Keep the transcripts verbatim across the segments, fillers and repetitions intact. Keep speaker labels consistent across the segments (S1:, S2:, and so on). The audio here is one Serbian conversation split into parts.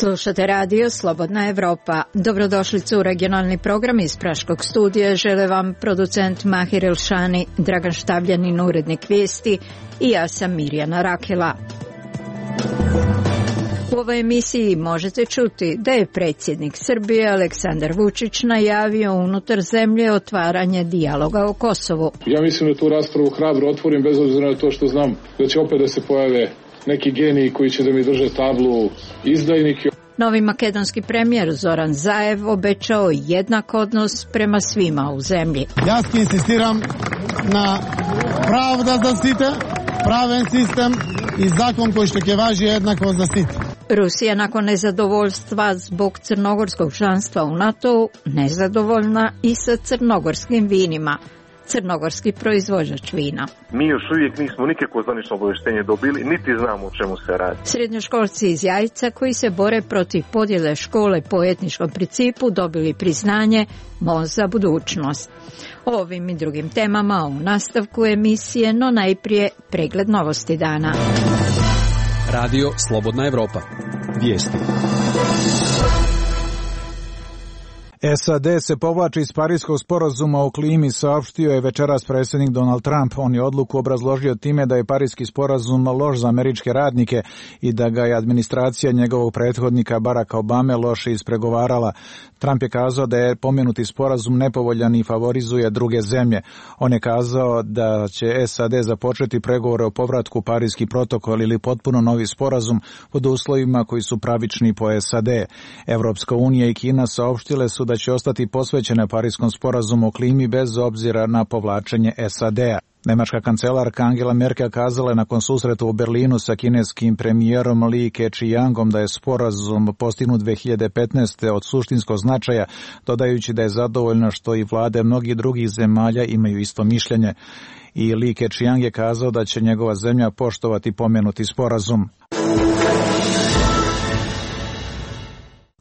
S1: Slušate radio Slobodna Evropa. Dobrodošlicu u regionalni program iz Praškog studija. Žele vam producent Mahir Elšani, Dragan Štavljanin, urednik vijesti i ja sam Mirjana Rakela. U ovoj emisiji možete čuti da je predsjednik Srbije Aleksandar Vučić najavio unutar zemlje otvaranje dijaloga o Kosovu.
S2: Ja mislim da tu raspravu hrabro otvorim bez obzira na to što znam da će opet da se pojave neki geniji koji će da mi drže tablu izdajnike.
S1: Novi makedonski premijer Zoran Zaev obećao jednak odnos prema svima u zemlji.
S3: Ja insistiram na pravda za svite, praven sistem i zakon koji što će važi jednako za svite.
S1: Rusija nakon nezadovoljstva zbog crnogorskog članstva u NATO-u nezadovoljna i sa crnogorskim vinima. Crnogorski proizvođač vina.
S4: Mi još uvijek nismo nikakvo zvanično obavještenje dobili, niti znamo o čemu se radi.
S1: Srednjoškolci iz Jajca koji se bore protiv podjele škole po etničkom principu dobili priznanje Most za budućnost. O ovim i drugim temama u nastavku emisije, no najprije pregled novosti dana.
S5: Radio Slobodna Evropa. Vijesti.
S6: S A D se povlači iz Pariskog sporazuma o klimi, saopštio je večeras predsjednik Donald Trump. On je odluku obrazložio time da je Pariski sporazum loš za američke radnike i da ga je administracija njegovog prethodnika Baracka Obame loše ispregovarala. Trump je kazao da je pomenuti sporazum nepovoljan i favorizuje druge zemlje. On je kazao da će S A D započeti pregovore o povratku Pariski protokol ili potpuno novi sporazum pod uslovima koji su pravični po S A D. Evropska unija i Kina saopštile su da će ostati posvećene Pariskom sporazumu o klimi bez obzira na povlačenje S A D-a. Nemačka kancelarka Angela Merkel kazala je nakon susreta u Berlinu sa kineskim premijerom Li Keqiangom da je sporazum postignut dve hiljade petnaeste. od suštinskog značaja, dodajući da je zadovoljna što i vlade mnogih drugih zemalja imaju isto mišljenje. I Li Keqiang je kazao da će njegova zemlja poštovati pomenuti sporazum.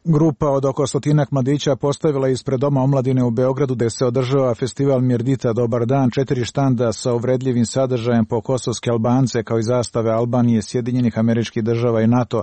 S6: Grupa od oko stotinak mladića postavila ispred Doma omladine u Beogradu gde se održava festival Mirdita Dobar dan, četiri štanda sa uvredljivim sadržajem po kosovske Albance kao i zastave Albanije, Sjedinjenih Američkih Država i NATO.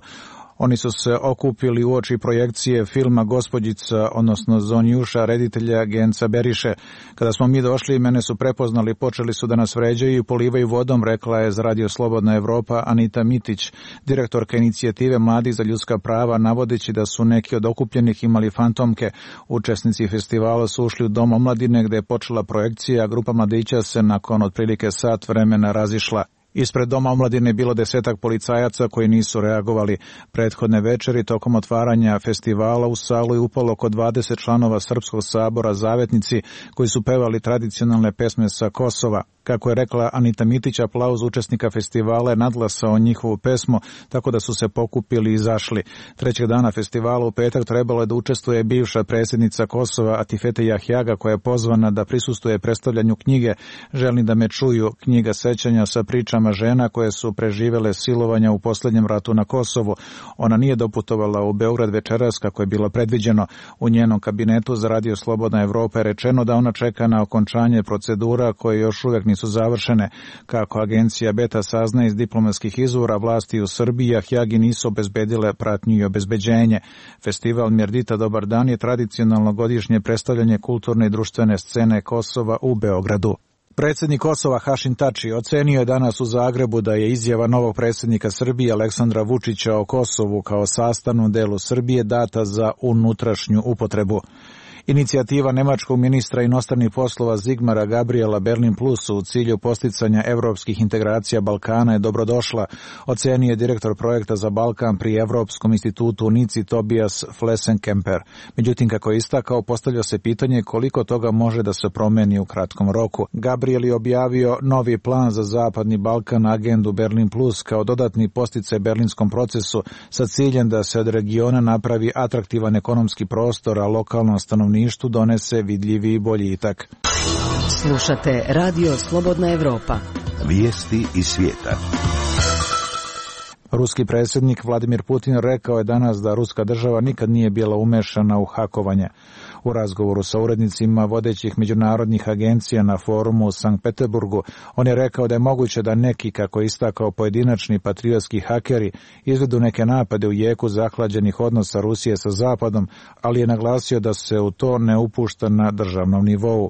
S6: Oni su se okupili uoči projekcije filma Gospođica, odnosno Zonjuša, reditelja Genca Beriše. Kada smo mi došli, mene su prepoznali, počeli su da nas vređaju i polivaju vodom, rekla je za Radio Slobodna Evropa Anita Mitić, direktorka inicijative Mladih za ljudska prava, navodeći da su neki od okupljenih imali fantomke. Učesnici festivala su ušli u Dom omladine gde je počela projekcija, a grupa mladića se nakon otprilike sat vremena razišla. Ispred Doma omladine je bilo desetak policajaca koji nisu reagovali. Prethodne večeri tokom otvaranja festivala u salu je upalo oko dvadeset članova Srpskog sabora Zavetnici koji su pevali tradicionalne pesme sa Kosova. Kako je rekla Anita Mitić, aplauz učesnika festivala je nadglasao njihovu pesmu, tako da su se pokupili i izašli. Trećeg dana festivala u petak trebalo je da učestvuje bivša predsjednica Kosova Atifete Jahjaga, koja je pozvana da prisustvuje predstavljanju knjige Želim da me čuju, knjiga sećanja sa pričama žena koje su preživele silovanja u posljednjem ratu na Kosovu. Ona nije doputovala u Beograd večeras kako je bilo predviđeno. U njenom kabinetu za Radio Slobodna Evropa je rečeno da ona čeka na okončanje procedura koje još uvijek nisu završene. Kako agencija Beta saznaje iz diplomatskih izvora, vlasti u Srbiji Jahjagi nisu obezbedile pratnju i obezbeđenje. Festival Mirdita Dobar dan je tradicionalno godišnje predstavljanje kulturne i društvene scene Kosova u Beogradu. Predsjednik Kosova Hašim Tači ocenio je danas u Zagrebu da je izjava novog predsjednika Srbije Aleksandra Vučića o Kosovu kao sastavnom delu Srbije data za unutrašnju upotrebu. Inicijativa nemačkog ministra inostranih poslova Zigmara Gabriela Berlin Plus u cilju posticanja evropskih integracija Balkana je dobrodošla, ocenio je direktor projekta za Balkan pri Evropskom institutu u Nici Tobias Flessenkemper. Međutim, kako je istakao, postavlja se pitanje koliko toga može da se promeni u kratkom roku. Gabriel je objavio novi plan za Zapadni Balkan, agendu Berlin Plus, kao dodatni posticaj berlinskom procesu sa ciljem da se od regiona napravi atraktivan ekonomski prostor, a lokalnom stanovništvu donese vidljivi boljitak.
S7: Slušate Radio Slobodna Evropa.
S8: Vijesti iz svijeta.
S6: Ruski predsjednik Vladimir Putin rekao je danas da ruska država nikad nije bila umešana u hakovanje. U razgovoru sa urednicima vodećih međunarodnih agencija na forumu u Sankt Peterburgu, on je rekao da je moguće da neki, kako je istakao, pojedinačni patriotski hakeri izvedu neke napade u jeku zahlađenih odnosa Rusije sa Zapadom, ali je naglasio da se u to ne upušta na državnom nivou.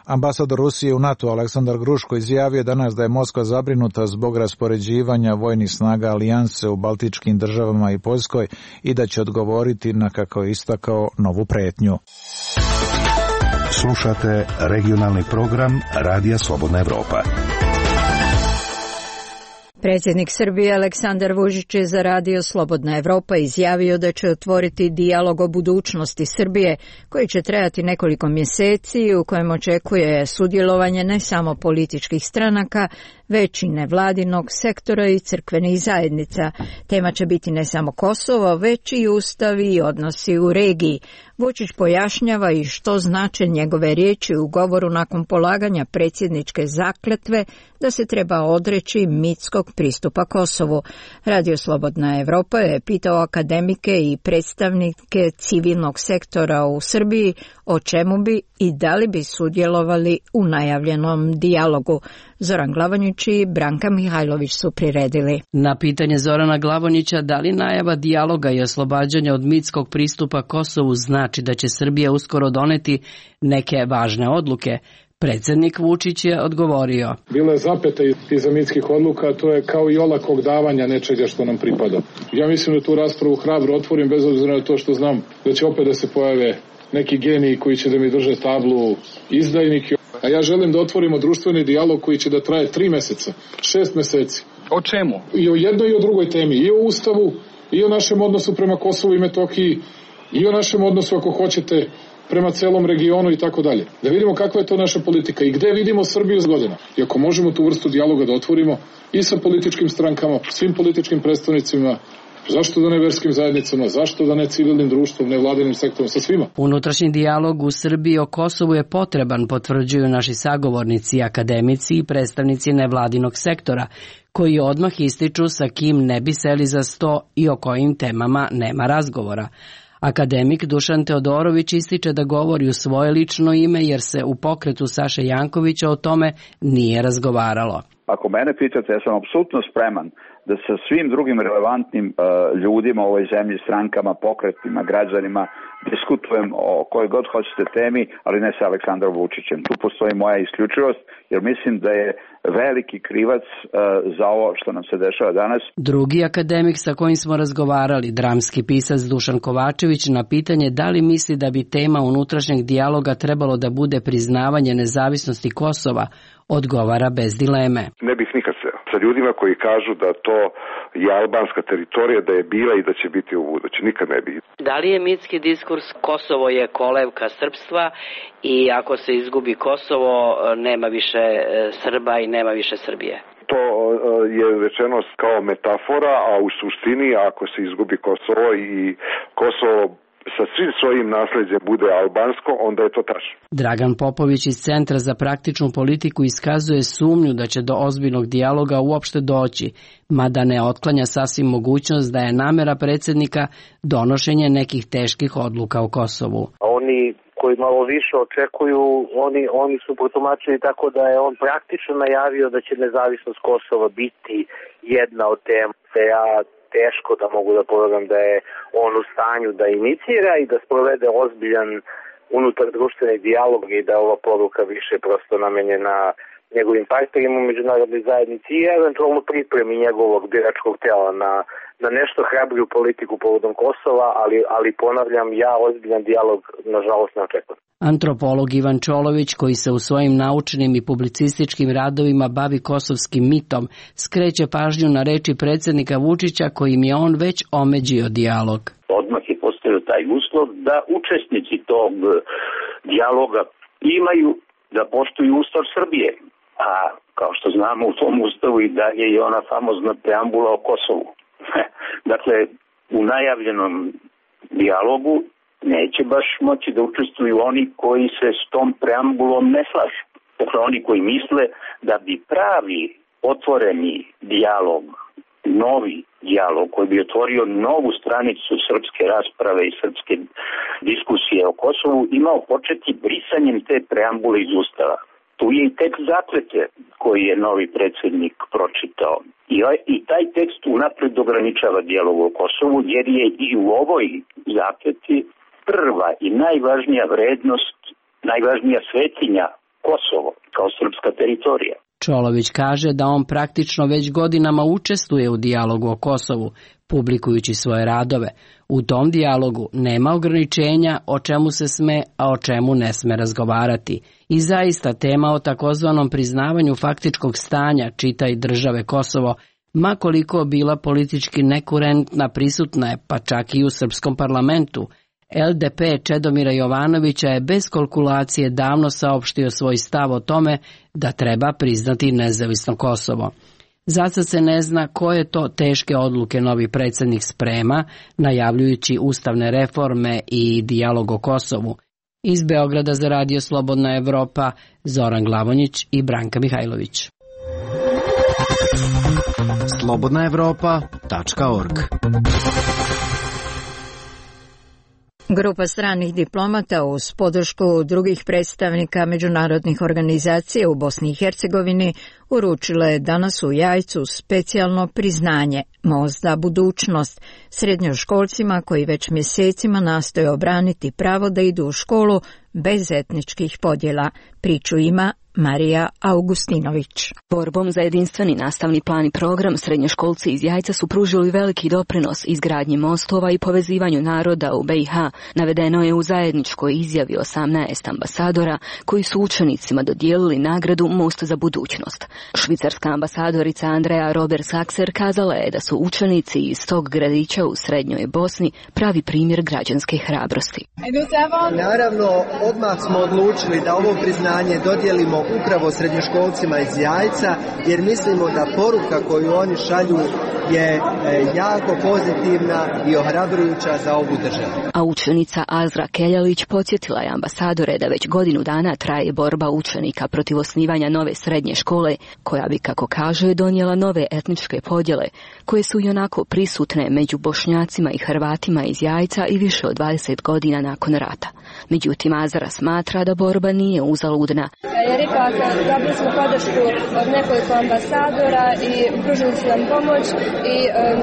S6: Ambasador Rusije u NATO Aleksandar Gruško izjavio danas da je Moskva zabrinuta zbog raspoređivanja vojnih snaga alijanse u baltičkim državama i Poljskoj i da će odgovoriti na, kako je istakao, novu pretnju.
S8: Slušate regionalni program Radija Slobodna Evropa.
S1: Predsjednik Srbije Aleksandar Vučić je za Radio Slobodna Evropa izjavio da će otvoriti dijalog o budućnosti Srbije koji će trajati nekoliko mjeseci, u kojem očekuje sudjelovanje ne samo političkih stranaka, već i nevladinog sektora i crkvenih zajednica. Tema će biti ne samo Kosovo, već i ustav i odnosi u regiji. Vučić pojašnjava i što znače njegove riječi u govoru nakon polaganja predsjedničke zakletve da se treba odreći mitskog pristupa Kosovu. Radio Slobodna Evropa je pitao akademike i predstavnike civilnog sektora u Srbiji o čemu bi i da li bi sudjelovali u najavljenom dijalogu. Zoran Glavonjić i Branka Mihajlović su priredili.
S9: Na pitanje Zorana Glavonjića da li najava dijaloga i oslobađanja od mitskog pristupa Kosovu znači da će Srbija uskoro doneti neke važne odluke, predsjednik Vučić je odgovorio.
S2: Bila je zapeta iza mitskih odluka, to je kao i olakog davanja nečega što nam pripada. Ja mislim da tu raspravu hrabro otvorim, bez obzira na to što znam da će opet da se pojave neki geniji koji će da mi drže tablu izdajnike. A ja želim da otvorimo društveni dijalog koji će da traje tri meseca, šest meseci.
S10: O čemu?
S2: I o jednoj i o drugoj temi. I o Ustavu, i o našem odnosu prema Kosovu i Metohiji, i o našem odnosu, ako hoćete, prema celom regionu i tako dalje. Da vidimo kakva je to naša politika i gde vidimo Srbiju s godina. I ako možemo tu vrstu dijaloga da otvorimo i sa političkim strankama, svim političkim predstavnicima, zašto da ne verskim zajednicama, zašto da ne civilnim društvom, nevladinim sektorom, sa svima.
S9: Unutrašnji dijalog u Srbiji o Kosovu je potreban, potvrđuju naši sagovornici, akademici i predstavnici nevladinog sektora, koji odmah ističu sa kim ne bi seli za sto i o kojim temama nema razgovora. Akademik Dušan Teodorović ističe da govori u svoje lično ime jer se u pokretu Saše Jankovića o tome nije razgovaralo.
S11: Ako mene pitate, ja sam apsolutno spreman da sa svim drugim relevantnim uh, ljudima u ovoj zemlji, strankama, pokretima, građanima, diskutujem o kojoj god hoćete temi, ali ne sa Aleksandrom Vučićem. Tu postoji moja isključivost, jer mislim da je veliki krivac uh, za ovo što nam se dešava danas.
S9: Drugi akademik sa kojim smo razgovarali, dramski pisac Dušan Kovačević, na pitanje da li misli da bi tema unutrašnjeg dijaloga trebalo da bude priznavanje nezavisnosti Kosova, odgovara bez dileme.
S12: Ne bih nikad se sa ljudima koji kažu da to je albanska teritorija, da je bila i da će biti u buduće. Nikad ne bi.
S13: Da li je mitski diskurs Kosovo je kolevka srpstva i ako se izgubi Kosovo nema više Srba i nema više Srbije?
S12: To je rečeno kao metafora, a u suštini ako se izgubi Kosovo i Kosovo sa svim svojim nasljeđem bude albansko, onda je to tačno.
S9: Dragan Popović iz Centra za praktičnu politiku iskazuje sumnju da će do ozbiljnog dijaloga uopšte doći, mada ne otklanja sasvim mogućnost da je namera predsjednika donošenje nekih teških odluka u Kosovu.
S14: Oni koji malo više očekuju, oni, oni su protumačili tako da je on praktično najavio da će nezavisnost Kosova biti jedna od tema. Ja teško da mogu da povedam da je on u stanju da inicira i da sprovede ozbiljan unutar društveni dijalog i da ova poruka više prosto namenjena njegovim partnerima u međunarodnoj zajednici i eventualno pripremi njegovog biračkog tela na, na nešto hrabriju politiku povodom Kosova, ali, ali ponavljam, ja ozbiljan dijalog nažalost ne očekujem.
S9: Antropolog Ivan Čolović, koji se u svojim naučnim i publicističkim radovima bavi kosovskim mitom, skreće pažnju na reči predsjednika Vučića kojim je on već omeđio dijalog.
S15: Odmah je postavio taj uslov da učesnici tog dijaloga imaju da poštuju Ustav Srbije. A kao što znamo u tom ustavu i dalje je ona famozna preambula o Kosovu. Dakle, u najavljenom dijalogu neće baš moći da učestvuju oni koji se s tom preambulom ne slažu. Dakle, oni koji misle da bi pravi otvoreni dijalog novi dijalog koji bi otvorio novu stranicu srpske rasprave i srpske diskusije o Kosovu imao početi brisanjem te preambule iz Ustava. Tu je i tekst zaklete koji je novi predsjednik pročitao. I, i taj tekst unapred ograničava dijalog o Kosovu jer je i u ovoj zakleti prva i najvažnija vrednost, najvažnija svetinja Kosovo kao srpska teritorija.
S9: Čolović kaže da on praktično već godinama učestvuje u dijalogu o Kosovu, publikujući svoje radove. U tom dijalogu nema ograničenja o čemu se sme, a o čemu ne sme razgovarati. I zaista tema o takozvanom priznavanju faktičkog stanja, čitaj države Kosovo, ma koliko bila politički nekurentna, prisutna je pa čak i u srpskom parlamentu. L D P Čedomira Jovanovića je bez kalkulacije davno saopštio svoj stav o tome da treba priznati nezavisno Kosovo. Zasad se ne zna koje to teške odluke novi predsjednik sprema, najavljujući ustavne reforme i dijalog o Kosovu. Iz Beograda za Radio Slobodna Evropa, Zoran Glavonjić i Branka Mihajlović.
S10: slobodna evropa tačka org.
S1: Grupa stranih diplomata uz podršku drugih predstavnika međunarodnih organizacija u Bosni i Hercegovini uručila je danas u Jajcu specijalno priznanje Most za budućnost srednjoškolcima koji već mjesecima nastoje obraniti pravo da idu u školu bez etničkih podjela. Priču ima Marija Augustinović.
S16: Borbom za jedinstveni nastavni plan i program srednjoškolci iz Jajca su pružili veliki doprinos izgradnji mostova i povezivanju naroda u B i H, navedeno je u zajedničkoj izjavi osamnaest ambasadora koji su učenicima dodijelili nagradu Most za budućnost. Švicarska ambasadorica Andrea Robert-Saxer kazala je da su učenici iz tog gradića u srednjoj Bosni pravi primjer građanske hrabrosti.
S17: Naravno, odmah smo odlučili da ovo priznanje dodijelimo upravo srednjoškolcima iz Jajca, jer mislimo da poruka koju oni šalju je jako pozitivna i ohrabrujuća za ovu državu.
S16: A učenica Azra Keljalić podsjetila je ambasadore da već godinu dana traje borba učenika protiv osnivanja nove srednje škole, koja bi, kako kaže, donijela nove etničke podjele, koje su ionako prisutne među Bošnjacima i Hrvatima iz Jajca i više od dvadeset godina nakon rata. Međutim, Azra smatra da borba nije uzaludna.
S18: Ja rekla sam, dobili smo podršku od nekoliko ambasadora i pružili su nam pomoć i um,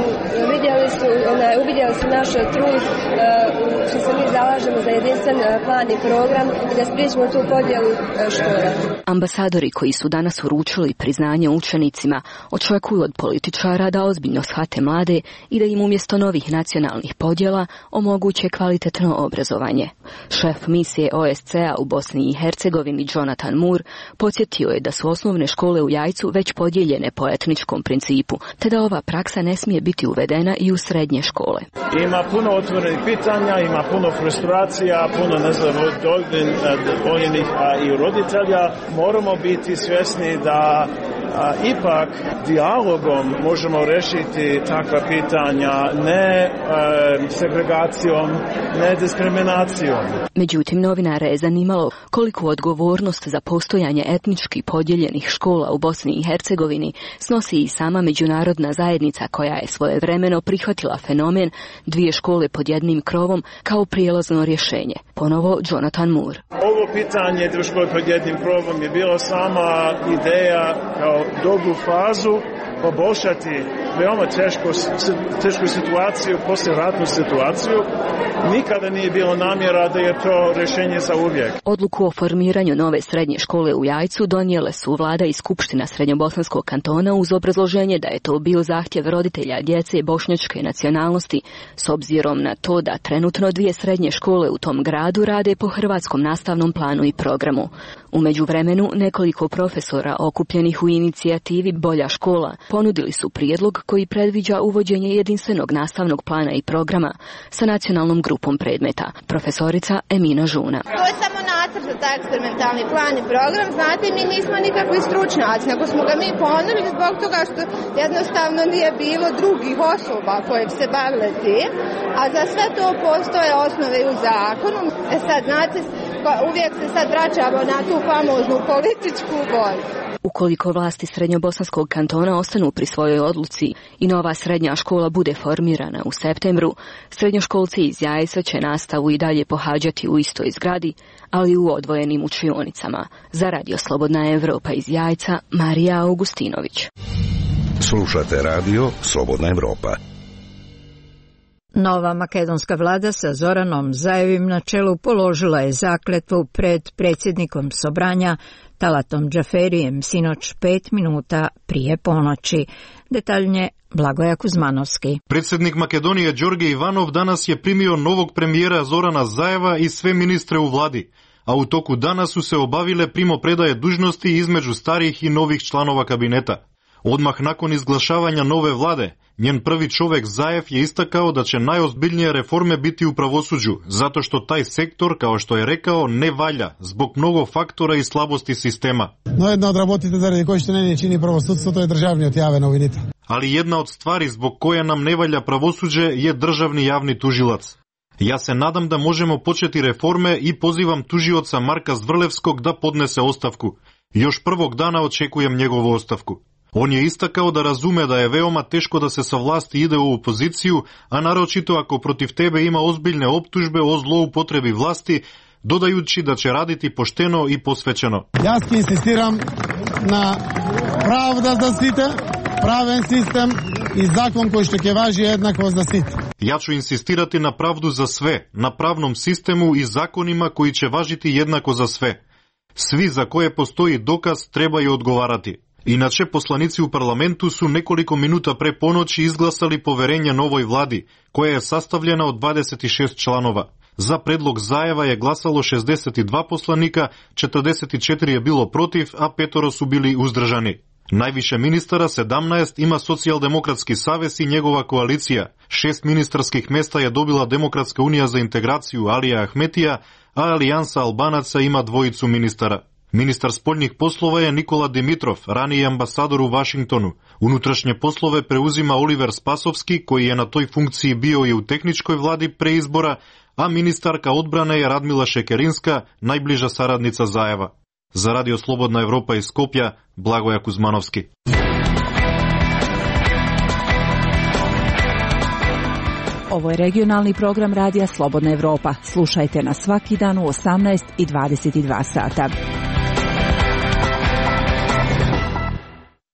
S18: vidjeli su, ona, uvidjeli su naš trud uh, što se mi zalažemo za jedinstven uh, plan i program i da spriječimo tu podjelu uh, škola.
S16: Ambasadori koji su danas uručili priznanje učenicima očekuju od političara da ozbiljno shvate mlade i da im umjesto novih nacionalnih podjela omoguće kvalitetno obrazovanje. Šef misije O S C-a u Bosni i Hercegovini Jonathan Moore podsjetio je da su osnovne škole u Jajcu već podijeljene po etničkom principu, te da ova praksa ne smije biti uvedena i u srednje škole.
S19: Ima puno otvorenih pitanja, ima puno frustracija, puno nezadovoljnih i roditelja. Moramo biti svjesni da a, ipak dijalogom možemo rešiti takva pitanja, ne a, segregacijom, ne diskriminacijom.
S16: Međutim, novinara je zanimalo koliko odgovornost za postojanje etnički podijeljenih škola u Bosni i Hercegovini snosi i sama međunarodna zajednica koja je svojevremeno prihvatila fenomen dvije škole pod jednim krovom kao prijelazno rješenje. Ponovo Jonathan Moore.
S19: Ovo pitanje dvije škole pod jednim krovom je bila sama ideja kao dobru fazu poboljšati veoma teško, tešku situaciju, poslijeratnu situaciju. Nikada nije bilo namjera da je to rješenje za uvijek.
S16: Odluku o formiranju nove srednje škole u Jajcu donijele su vlada i skupština Srednjobosanskog kantona uz obrazloženje da je to bio zahtjev roditelja djece bošnjačke nacionalnosti, s obzirom na to da trenutno dvije srednje škole u tom gradu rade po hrvatskom nastavnom planu i programu. U međuvremenu nekoliko profesora okupljenih u inicijativi Bolja škola ponudili su prijedlog koji predviđa uvođenje jedinstvenog nastavnog plana i programa sa nacionalnom grupom predmeta. Profesorica Emina Žuna.
S20: To je samo nacrt za taj eksperimentalni plan i program. Znate, mi nismo nikakvi stručnjaci, nego smo ga mi ponudili zbog toga što jednostavno nije bilo drugih osoba koje bi se bavile tim, a za sve to postoje osnove u zakonu. E sad, znate, uvijek se sad vraćamo na tu famoznu političku borbu.
S16: Ukoliko vlasti Srednjobosanskog kantona ostanu pri svojoj odluci i nova srednja škola bude formirana u septembru, srednjoškolci iz Jajca će nastavu i dalje pohađati u istoj zgradi, ali u odvojenim učionicama. Za Radio Slobodna Evropa iz Jajca, Marija Augustinović.
S8: Slušate Radio Slobodna Evropa.
S1: Nova makedonska vlada sa Zoranom Zajevim na čelu položila je zakletvu pred predsjednikom Sobranja Talatom Džaferijem sinoć pet minuta prije ponoći. Detaljnije Blagoja Kuzmanovski.
S21: Predsjednik Makedonije Đorđe Ivanov danas je primio novog premijera Zorana Zajeva i sve ministre u vladi, a u toku dana su se obavile primopredaje dužnosti između starih i novih članova kabineta. Odmah nakon izglašavanja nove vlade, njen prvi čovjek Zajev je istakao da će najozbiljnije reforme biti u pravosuđu, zato što taj sektor, kao što je rekao, ne valja zbog mnogo faktora i slabosti sistema.
S3: No jedna od работите заради кои што не ни чини правосудство, тоа е државниот јавен обвинител.
S21: Ali jedna od stvari zbog koje nam ne valja pravosuđe je državni javni tužilac. Ja se nadam da možemo početi reforme i pozivam tužioca Marka Zvrlevskog da podnese ostavku. Još prvog dana očekujem njegovu ostavku. On je istakao da razume da je veoma teško da se sa vlasti ide u opoziciju, a naročito ako protiv tebe ima ozbiljne optužbe o zloupotrebi vlasti, dodajući da će raditi pošteno i posvećeno.
S3: Ja insistiram na pravda za site, praven sistem i zakon koji što će važi jednako za site.
S21: Ja ću insistirati na pravdu za sve, na pravnom sistemu i zakonima koji će važiti jednako za sve. Svi za koje postoji dokaz trebaju odgovarati. Inače, poslanici u parlamentu su nekoliko minuta pre ponoći izglasali poverenje novoj vladi, koja je sastavljena od dvadeset šest članova. Za predlog Zajeva je glasalo šezdeset dva poslanika, četrdeset četiri je bilo protiv, a petoro su bili uzdržani. Najviše ministara, sedamnaest, ima Socijaldemokratski savez i njegova koalicija. Šest ministarskih mesta je dobila Demokratska unija za integraciju Alija Ahmetija, a Alijansa Albanaca ima dvojicu ministara. Ministar spoljnih poslova je Nikola Dimitrov, raniji ambasador u Vašingtonu. Unutrašnje poslove preuzima Oliver Spasovski, koji je na toj funkciji bio i u tehničkoj vladi pre izbora, a ministarka odbrane je Radmila Šekerinska, najbliža saradnica Zajeva. Za Radio Slobodna Evropa iz Skopja, Blagoja Kuzmanovski.
S22: Ovo je regionalni program Radija Slobodna Evropa. Slušajte nas svaki dan u osamnaest i dvadeset dva sata.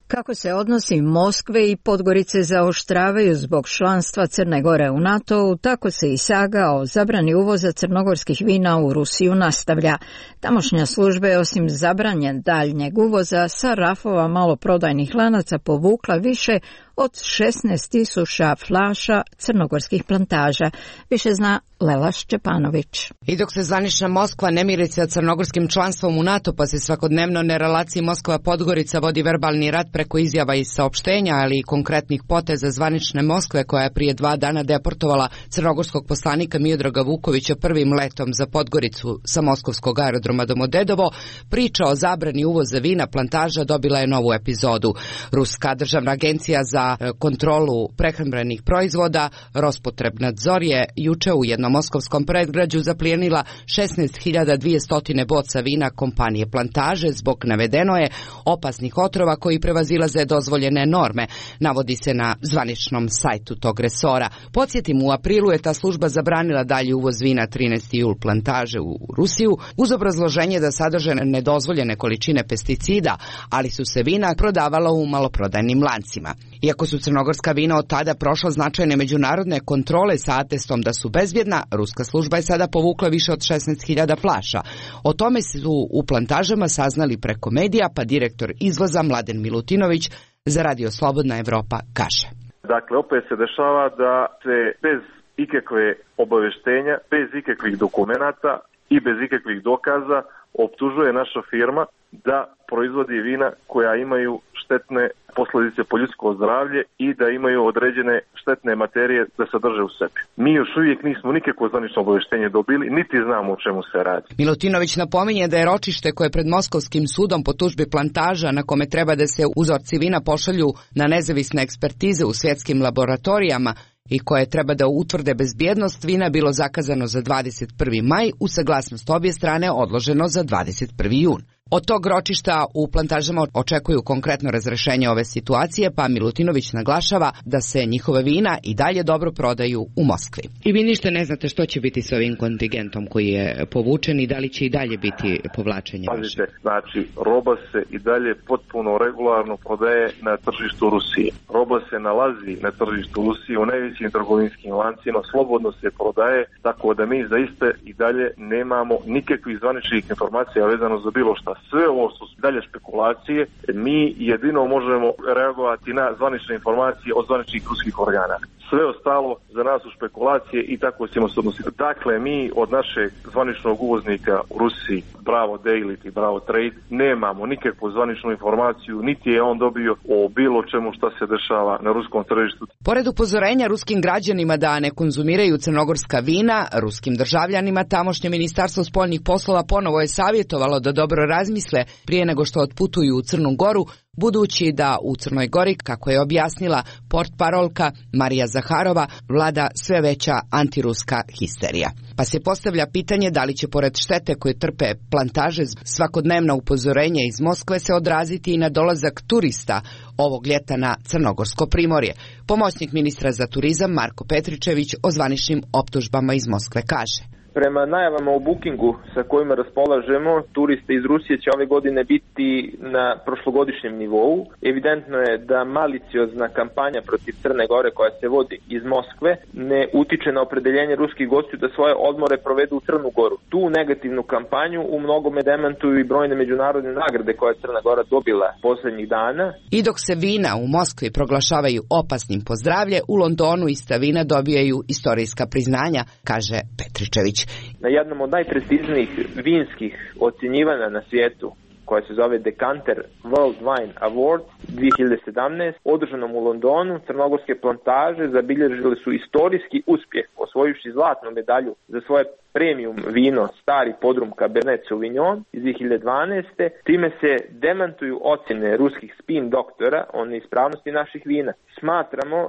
S1: Kako se odnosi Moskve i Podgorice zaoštravaju zbog članstva Crne Gore u NATO-u, tako se i saga o zabrani uvoza crnogorskih vina u Rusiju nastavlja. Tamošnja služba je osim zabranjen daljnjeg uvoza sa rafova maloprodajnih lanaca povukla više od šesnaest tisuća flaša crnogorskih plantaža. Više zna Lela Šćepanović.
S23: I dok se zvanična Moskva ne miri sa crnogorskim članstvom u NATO, pa se svakodnevno na relaciji Moskva-Podgorica vodi verbalni rat preko izjava i saopštenja, ali i konkretnih poteza zvanične Moskve, koja je prije dva dana deportovala crnogorskog poslanika Miodraga Vukovića prvim letom za Podgoricu sa moskovskog aerodroma Domodedovo, priča o zabrani uvoza vina plantaža dobila je novu epizodu. Ruska državna agencija za kontrolu prehrambenih proizvoda Rospotrebnadzor je juče u jednom moskovskom predgrađu zaplijenila šesnaest hiljada dvjesto boca vina kompanije Plantaže zbog, navedeno je, opasnih otrova koji prevazilaze dozvoljene norme, navodi se na zvaničnom sajtu tog resora. Podsjetim, u aprilu je ta služba zabranila dalji uvoz vina trinaesti jul Plantaže u Rusiju uz obrazloženje da sadrže nedozvoljene količine pesticida, ali su se vina prodavala u maloprodajnim lancima. Iako su crnogorska vina od tada prošla značajne međunarodne kontrole sa atestom da su bezbjedna, ruska služba je sada povukla više od šesnaest hiljada flaša. O tome su u Plantažama saznali preko medija, pa direktor izvoza Mladen Milutinović za Radio Slobodna Evropa kaže.
S4: Dakle, opet se dešava da se bez ikakve obaveštenja, bez ikakvih dokumenata i bez ikakvih dokaza optužuje naša firma da proizvodi vina koja imaju štetne posljedice po ljudsko zdravlje i da imaju određene štetne materije da sadrže u sebi. Mi još uvijek nismo nikakvo zvanično obaveštenje dobili, niti znamo o čemu se radi.
S23: Milutinović napominje da je ročište koje pred Moskovskim sudom po tužbi Plantaža, na kome treba da se uzorci vina pošalju na nezavisne ekspertize u svjetskim laboratorijama, i koje treba da utvrde bezbjednost vina bilo zakazano za dvadeset prvi maj, uz saglasnost obje strane odloženo za dvadeset prvi jun. Od tog ročišta u plantažama očekuju konkretno razrešenje ove situacije, pa Milutinović naglašava da se njihove vina i dalje dobro prodaju u Moskvi. I vi ništa ne znate što će biti s ovim kontingentom koji je povučen i da li će i dalje biti povlačenje vaše?
S4: Pazite, znači roba se i dalje potpuno regularno prodaje na tržištu Rusije. Roba se nalazi na tržištu Rusije u najvećim trgovinskim lancima, slobodno se prodaje, tako da mi zaista i dalje nemamo nikakvih zvaničnih informacija vezano za bilo šta. Sve ovo su dalje špekulacije, mi jedino možemo reagovati na zvanične informacije od zvaničnih ruskih organa. Sve ostalo za nas su špekulacije i tako ćemo se odnositi. Dakle, mi od našeg zvaničnog uvoznika u Rusiji, Bravo Daily i Bravo Trade, nemamo nikakvu zvaničnu informaciju, niti je on dobio o bilo čemu šta se dešava na ruskom tržištu.
S23: Pored upozorenja ruskim građanima da ne konzumiraju crnogorska vina, ruskim državljanima tamošnje ministarstvo spoljnih poslova ponovo je savjetovalo da dobro razmisle prije nego što otputuju u Crnu Goru, budući da u Crnoj Gori, kako je objasnila portparolka Marija Zaharova, vlada sve veća antiruska histerija. Pa se postavlja pitanje da li će pored štete koje trpe plantaže svakodnevna upozorenja iz Moskve se odraziti i na dolazak turista ovog ljeta na Crnogorsko primorje. Pomoćnik ministra za turizam Marko Petričević o zvaničnim optužbama iz Moskve kaže:
S5: Prema najavama o bookingu sa kojima raspolažemo, turiste iz Rusije će ove godine biti na prošlogodišnjem nivou. Evidentno je da maliciozna kampanja protiv Crne Gore koja se vodi iz Moskve ne utiče na opredeljenje ruskih gostiju da svoje odmore provedu u Crnu Goru. Tu negativnu kampanju u mnogome demantuju i brojne međunarodne nagrade koje je Crna Gora dobila poslednjih dana.
S23: I dok se vina u Moskvi proglašavaju opasnim po zdravlje, u Londonu ista vina dobijaju istorijska priznanja, kaže Petričević.
S5: Na jednom od najprestižnijih vinskih ocjenjivanja na svijetu, koja se zove Decanter World Wine Award dvije hiljade sedamnaeste. održanom u Londonu, crnogorske plantaže zabilježile su istorijski uspjeh, osvojivši zlatnu medalju za svoje premium vino Stari podrum Cabernet Sauvignon iz dvije hiljade dvanaeste. Time se demantuju ocjene ruskih spin doktora o neispravnosti naših vina. Smatramo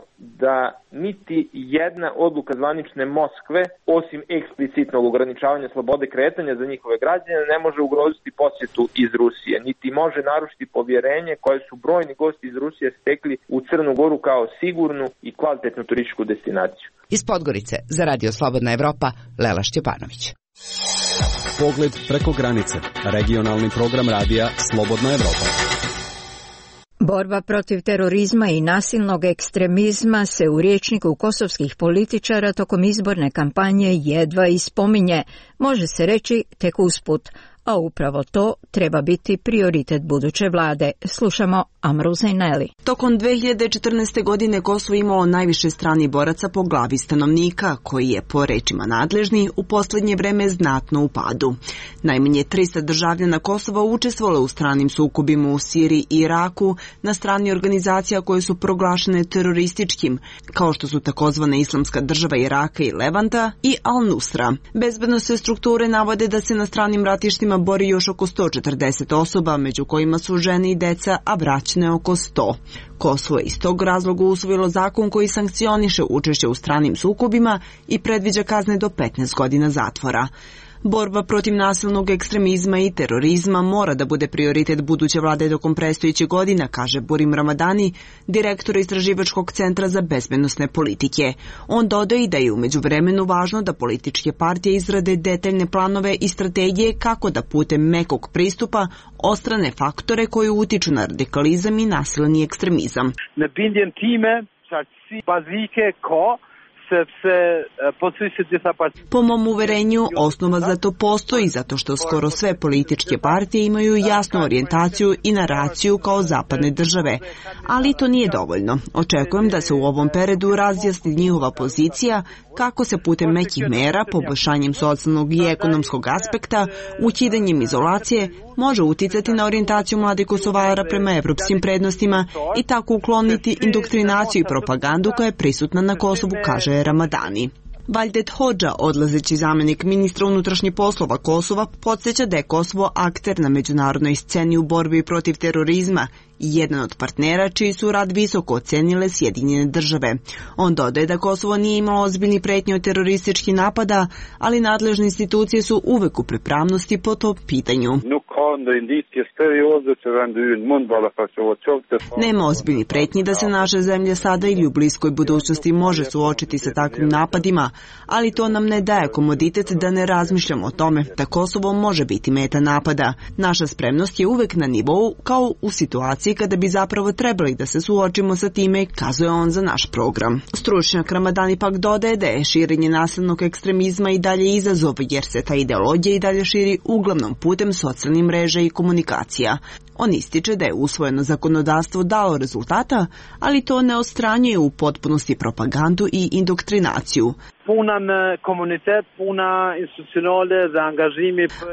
S5: da niti jedna odluka zvanične Moskve, osim eksplicitnog ograničavanja slobode kretanja za njihove građane, ne može ugroziti posjetu iz Rusije, niti može narušiti povjerenje koje su brojni gosti iz Rusije stekli u Crnu Goru kao sigurnu i kvalitetnu turističku destinaciju.
S23: Iz Podgorice za Radio Slobodna Evropa, Lela Šćepanović.
S10: Pogled preko granice. Regionalni program radija Slobodna Evropa.
S1: Borba protiv terorizma i nasilnog ekstremizma se u rječniku kosovskih političara tokom izborne kampanje jedva i spominje, može se reći tek usput, a upravo to treba biti prioritet buduće vlade. Slušamo Amru Zaineli.
S6: Tokom dve hiljade četrnaeste. godine Kosovo imao najviše stranih boraca po glavi stanovnika, koji je, po rečima nadležni, u posljednje vreme znatno u padu. Najmanje trista državljana Kosova učestvovalo u stranim sukobima u Siriji i Iraku na strani organizacija koje su proglašene terorističkim, kao što su takozvana Islamska država Iraka i Levanta i Al-Nusra. Bezbednosne strukture navode da se na stranim ratištima bori još oko sto četrdeset osoba, među kojima su žene i deca, a braćne oko sto. Kosovo je iz tog razloga usvojilo zakon koji sankcioniše učešće u stranim sukobima i predviđa kazne do petnaest godina zatvora. Borba protiv nasilnog ekstremizma i terorizma mora da bude prioritet buduće vlade tokom predstojećih godina, kaže Burim Ramadani, direktor Istraživačkog centra za bezbednosne politike. On dodaje i da je u međuvremenu važno da političke partije izrade detaljne planove i strategije kako da putem mekog pristupa odstrane faktore koji utiču na radikalizam i nasilni ekstremizam. Po mom uverenju, osnova za to postoji zato što skoro sve političke partije imaju jasnu orijentaciju i naraciju kao zapadne države, ali to nije dovoljno. Očekujem da se u ovom periodu razjasni njihova pozicija kako se putem mekih mera, poboljšanjem socijalnog i ekonomskog aspekta, ukidanjem izolacije, može uticati na orijentaciju mladih Kosovara prema evropskim prednostima i tako ukloniti indoktrinaciju i propagandu koja je prisutna na Kosovu, kaže Ramadani. Valdet Hodža, odlazeći zamjenik ministra unutrašnjih poslova Kosova, podsjeća da je Kosovo akter na međunarodnoj sceni u borbi protiv terorizma i jedan od partnera čiji su rad visoko ocenile Sjedinjene države. On dodaje da Kosovo nije imao ozbiljni pretnje od terorističkih napada, ali nadležne institucije su uvek u pripravnosti po tom pitanju. Nema ozbiljnih pretnji da se naša zemlja sada ili u bliskoj budućnosti može suočiti sa takvim napadima, ali to nam ne daje komoditet da ne razmišljamo o tome da Kosovo može biti meta napada. Naša spremnost je uvek na nivou kao u situaciji kada bi zapravo trebali da se suočimo sa time, kazuje on za naš program. Stručnjak Ramadani pak dodaje da je širenje nasilnog ekstremizma i dalje izazov, jer se ta ideologija i dalje širi uglavnom putem socijalnih mreža i komunikacija. On ističe da je usvojeno zakonodavstvo dalo rezultata, ali to ne odstranjuje u potpunosti propagandu i indoktrinaciju.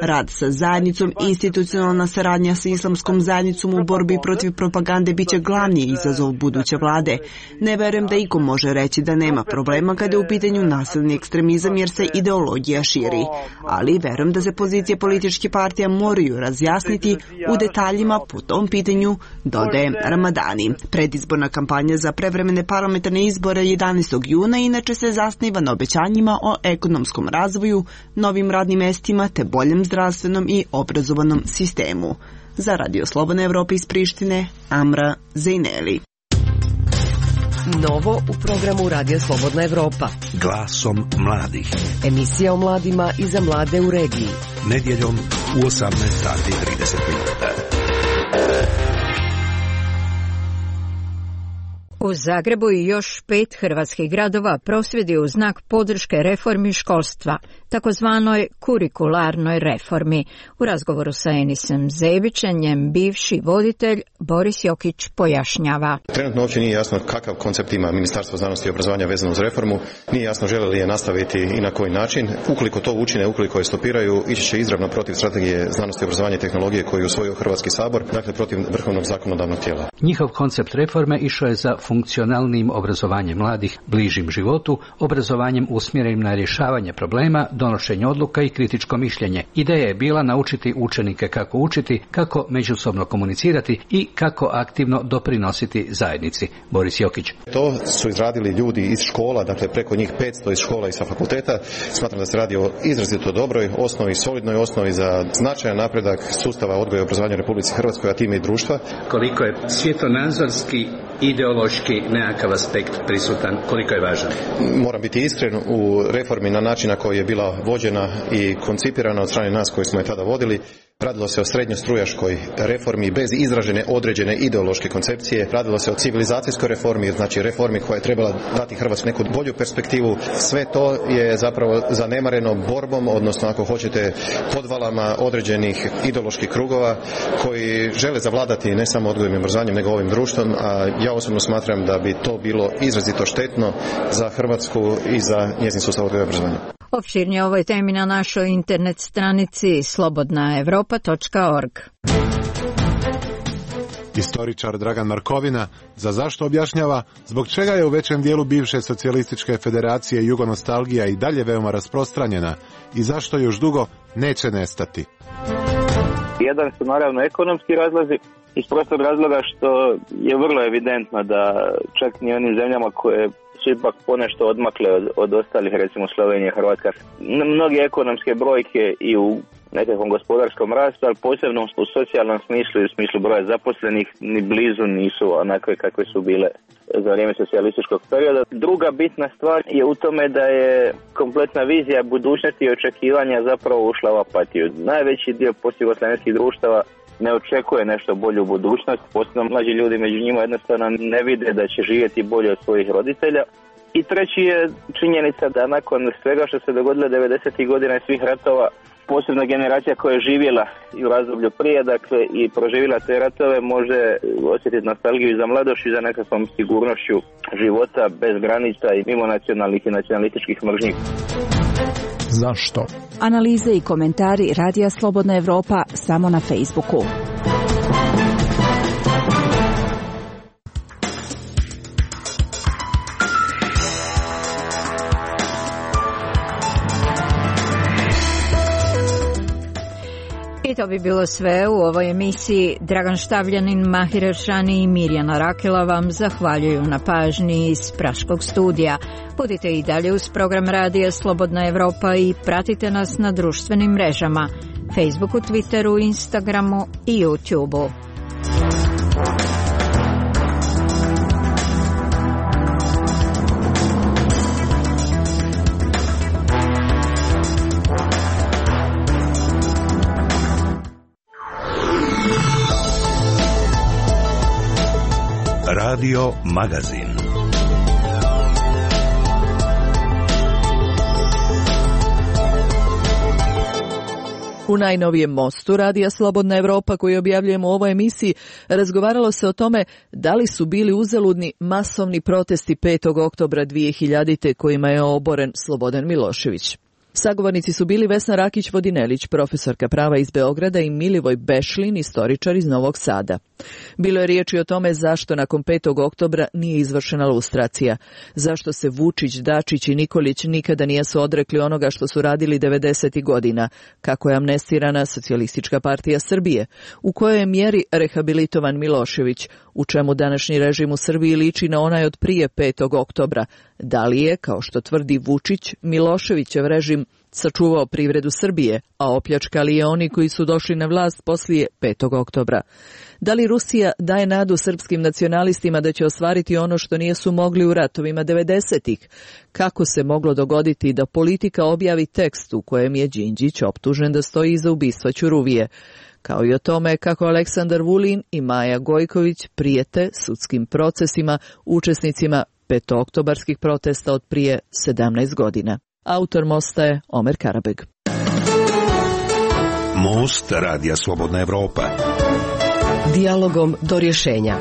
S6: Rad sa zajednicom, institucionalna saradnja sa islamskom zajednicom u borbi protiv propagande biće glavni izazov buduće vlade. Ne verujem da iko može reći da nema problema kada je u pitanju nasilni ekstremizam jer se ideologija širi. Ali verujem da se pozicije političkih partija moraju razjasniti u detaljima po tom pitanju, dodaje Ramadani. Predizborna kampanja za prevremene parlamentarne izbore jedanaestog juna inače se zasniva na obećanjima o ekonomskom razvoju, novim radnim mestima te boljem zdravstvenom i obrazovanom sistemu. Za Radio Slobodna Evropa iz Prištine, Amra Zejneli.
S2: Novo u programu Radio Slobodna Evropa.
S8: Glasom mladih.
S2: Emisija o mladima i za mlade u regiji.
S8: Nedjeljom u osamnaest sati i trideset minuta.
S1: U Zagrebu i još pet hrvatskih gradova prosvjedi u znak podrške reformi školstva, takozvanoj kurikularnoj reformi. U razgovoru sa Enisem Zebićem, njem bivši voditelj Boris Jokić pojašnjava.
S7: Trenutno uopće nije jasno kakav koncept ima Ministarstvo znanosti i obrazovanja vezano uz reformu. Nije jasno žele li je nastaviti i na koji način. Ukoliko to učine, ukoliko je stopiraju, ići će izravno protiv strategije znanosti, obrazovanja i tehnologije koju je usvojio Hrvatski sabor, dakle protiv vrhovnog zakonodavnog tijela.
S11: Njihov koncept reforme išao je za funkcionalnim obrazovanjem mladih, bližim životu, obrazovanjem usmjerenim na rješavanje problema, donošenje odluka i kritičko mišljenje. Ideja je bila naučiti učenike kako učiti, kako međusobno komunicirati i kako aktivno doprinositi zajednici. Boris Jokić.
S7: To su izradili ljudi iz škola, dakle preko njih petsto iz škola i sa fakulteta. Smatram da se radi o izrazito dobroj osnovi, solidnoj osnovi za značajan napredak sustava odgoja i obrazovanja u Republici Hrvatskoj, a time i društva.
S11: Koliko je svjetonazorski, ideološki nekakav aspekt prisutan, koliko je važan?
S7: Moram biti iskren, u reformi na način na koji je bila vođena i koncipirana od strane nas koji smo je tada vodili, radilo se o srednjostrujaškoj reformi bez izražene određene ideološke koncepcije, radilo se o civilizacijskoj reformi, znači reformi koja je trebala dati Hrvatskoj neku bolju perspektivu. Sve to je zapravo zanemareno borbom, odnosno ako hoćete podvalama određenih ideoloških krugova koji žele zavladati ne samo odgojem i obrazovanjem nego ovim društvom, a ja osobno smatram da bi to bilo izrazito štetno za Hrvatsku i za njezin sustav odgoja i obrazovanja.
S1: Opširnije o ovoj temi na našoj internet stranici slobodna evropa tačka org.
S24: Istoričar Dragan Markovina za zašto objašnjava zbog čega je u većem dijelu bivše socijalističke federacije jugonostalgija i dalje veoma rasprostranjena i zašto još dugo neće nestati.
S5: Jedan su naravno ekonomski razlozi, iz prostog razloga što je vrlo evidentno da čak ni onim zemljama koje su ipak ponešto odmakle od, od ostalih, recimo Slovenije, Hrvatska, mnoge ekonomske brojke i u nekakvom gospodarskom rastu, ali posebno u socijalnom smislu i u smislu broja zaposlenih ni blizu nisu onakve kakve su bile za vrijeme socijalističkog perioda. Druga bitna stvar je u tome da je kompletna vizija budućnosti i očekivanja zapravo ušla u apatiju. Najveći dio postjugoslavenskih društava ne očekuje nešto bolje u budućnost, posebno mlađi ljudi među njima jednostavno ne vide da će živjeti bolje od svojih roditelja. I treći je činjenica da nakon svega što se dogodilo devedesetih godina i svih ratova, posebna generacija koja je živjela i u razdoblju prije, dakle, i proživjela te ratove, može osjetiti nostalgiju za mladošću i za nekakvom sigurnošću života bez granica i mimo nacionalnih i nacionalističkih mržnji.
S22: Zašto? Analize i komentari Radija Slobodna Evropa samo na Facebooku.
S1: I to bi bilo sve u ovoj emisiji. Dragan Štavljanin, Mahir Eršani i Mirjana Rakela vam zahvaljuju na pažnji iz Praškog studija. Budite i dalje uz program Radija Slobodna Evropa i pratite nas na društvenim mrežama Facebooku, Twitteru, Instagramu i YouTubeu.
S8: Radio Magazin.
S12: U najnovijem mostu Radija Slobodna Evropa koji objavljujemo u ovoj emisiji razgovaralo se o tome da li su bili uzaludni masovni protesti petog oktobra dvije hiljadite kojima je oboren Slobodan Milošević. Sagovornici su bili Vesna Rakić-Vodinelić, profesorka prava iz Beograda, i Milivoj Bešlin, istoričar iz Novog Sada. Bilo je riječi o tome zašto nakon petog oktobra nije izvršena lustracija, zašto se Vučić, Dačić i Nikolić nikada nisu odrekli onoga što su radili devedesetih godina, kako je amnestirana Socijalistička partija Srbije, u kojoj je mjeri rehabilitovan Milošević, u čemu današnji režim u Srbiji liči na onaj od prije petog oktobra, da li je, kao što tvrdi Vučić, Miloševićev režim sačuvao privredu Srbije, a opljačkali je oni koji su došli na vlast poslije petog oktobra. Da li Rusija daje nadu srpskim nacionalistima da će ostvariti ono što nisu mogli u ratovima devedesetih? Kako se moglo dogoditi da Politika objavi tekst u kojem je Đinđić optužen da stoji iza ubistva Ćuruvije? Kao i o tome kako Aleksandar Vulin i Maja Gojković prijete sudskim procesima učesnicima petooktobarskih protesta od prije sedamnaest godina. Autor mosta je Omer Karabeg.
S8: Most Radija Slobodna Evropa.
S2: Dijalogom do rješenja.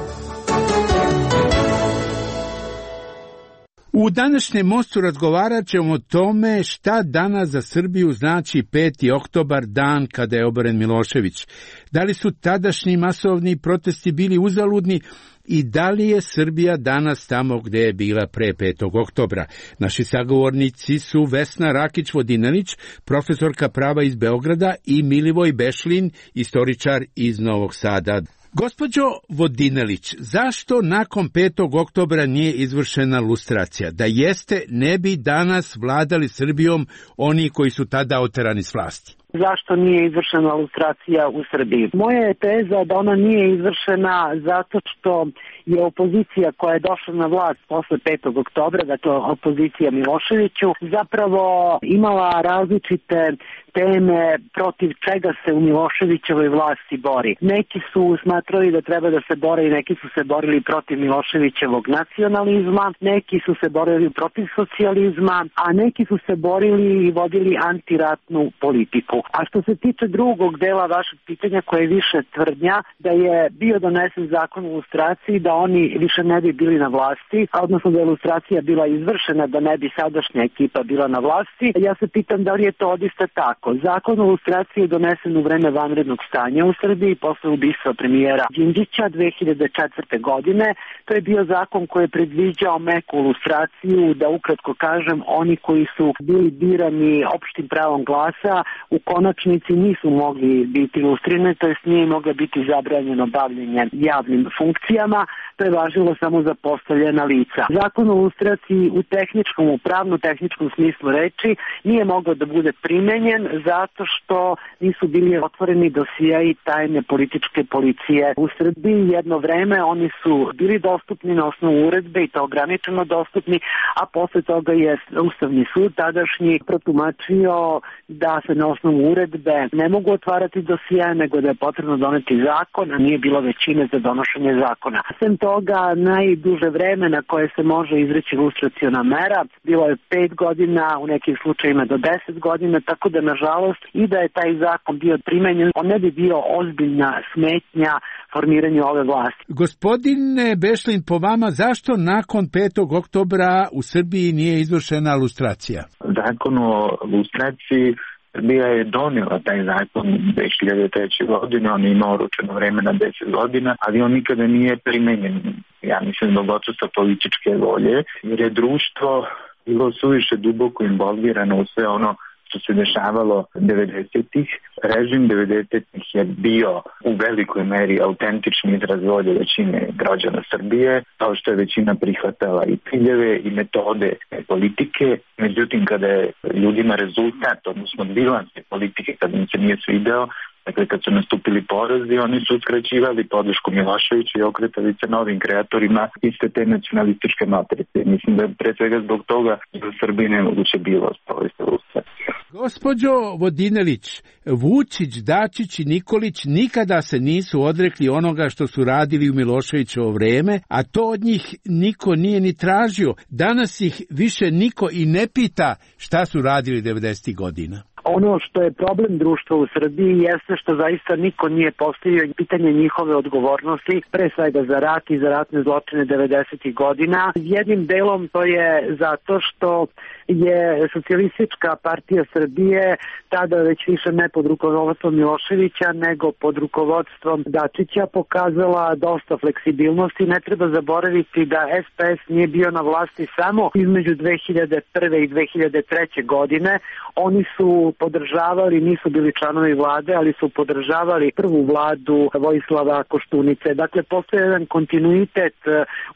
S13: U današnjem mostu razgovarat ćemo o tome šta danas za Srbiju znači peti oktobar, dan kada je oboren Milošević. Da li su tadašnji masovni protesti bili uzaludni i da li je Srbija danas tamo gdje je bila pre petog oktobra. Naši sagovornici su Vesna Rakić-Vodinelić, profesorka prava iz Beograda, i Milivoj Bešlin, istoričar iz Novog Sada. Gospođo Vodinelić, zašto nakon petog oktobra nije izvršena lustracija? Da jeste, ne bi danas vladali Srbijom oni koji su tada oterani s vlasti.
S14: Zašto nije izvršena lustracija u Srbiji? Moja je teza da ona nije izvršena zato što je opozicija koja je došla na vlast posle petog oktobra, dakle opozicija Miloševiću, zapravo imala različite teme protiv čega se u Miloševićevoj vlasti bori. Neki su smatrali da treba da se bore i neki su se borili protiv Miloševićevog nacionalizma, neki su se borili protiv socijalizma, a neki su se borili i vodili antiratnu politiku. A što se tiče drugog dela vašeg pitanja, koje je više tvrdnja da je bio donesen zakon o lustraciji, da oni više ne bi bili na vlasti, odnosno da je lustracija bila izvršena, da ne bi sadašnja ekipa bila na vlasti, ja se pitam da li je to odista tako. Zakon o lustraciji je donesen u vreme vanrednog stanja u Srbiji posle ubistva premijera Đinđića dve hiljade četvrte. godine. To je bio zakon koji je predviđao meku lustraciju, da ukratko kažem, oni koji su bili birani opštim pravom glasa u konačnici nisu mogli biti lustrirani, to jest nije moglo biti zabranjeno bavljenje javnim funkcijama, to je važilo samo za postavljena lica. Zakon o lustraciji u tehničkom, u pravno-tehničkom smislu reči nije mogao da bude primenjen zato što nisu bili otvoreni dosijeji tajne političke policije u Srbiji. Jedno vreme oni su bili dostupni na osnovu uredbe i to ograničeno dostupni, a posle toga je Ustavni sud tadašnji protumačio da se na osnovu uredbe ne mogu otvarati dosijeje, nego da je potrebno doneti zakon, a nije bilo većine za donošenje zakona. Sem toga, najduže vreme na koje se može izreći lustraciona mera bilo je pet godina, u nekim slučajima do deset godina, tako da nažalost i da je taj zakon bio primenjen, on ne bi bio ozbiljna smetnja formiranju ove vlasti.
S13: Gospodine Bešlin, po vama, zašto nakon petog oktobra u Srbiji nije izvršena lustracija?
S15: Zakon o lustraciji Srbija je donijela taj zakon dve hiljade treće. godine, on je imao oročeno vreme na deset godina, ali on nikada nije primenjen. Ja mislim zbog odsustva političke volje, jer je društvo bilo suviše duboko involvirano u sve ono što se dešavalo devedesetih. Režim devedesetih je bio u velikoj meri autentični izraz volje većine građana Srbije, kao što je većina prihvatala i ciljeve i metode politike. Međutim, kada je ljudima rezultat, odnosno bilans politike, kada im se nije svideo, dakle, kad su nastupili porazi, oni su uskraćivali podršku Miloševiću i okretali se novim kreatorima iste te nacionalističke matrice. Mislim da je pre svega zbog toga da u Srbiji nemoguće bilo sprovesti lustraciju.
S13: Gospođo Vodinelić, Vučić, Dačić i Nikolić nikada se nisu odrekli onoga što su radili u Miloševićevo vreme, a to od njih niko nije ni tražio. Danas ih više niko i ne pita šta su radili devedesetih godina.
S14: Ono što je problem društva u Srbiji jeste što zaista niko nije postavio pitanje njihove odgovornosti, pre svega za rat i za ratne zločine devedesetih godina. Jednim delom to je zato što je Socijalistička partija Srbije tada već više ne pod rukovodstvom Miloševića nego pod rukovodstvom Dačića pokazala dosta fleksibilnosti. Ne treba zaboraviti da S P S nije bio na vlasti samo između dve hiljade prve i dve hiljade treće godine. Oni su podržavali, nisu bili članovi vlade, ali su podržavali prvu vladu Vojislava Koštunice. Dakle, postoji jedan kontinuitet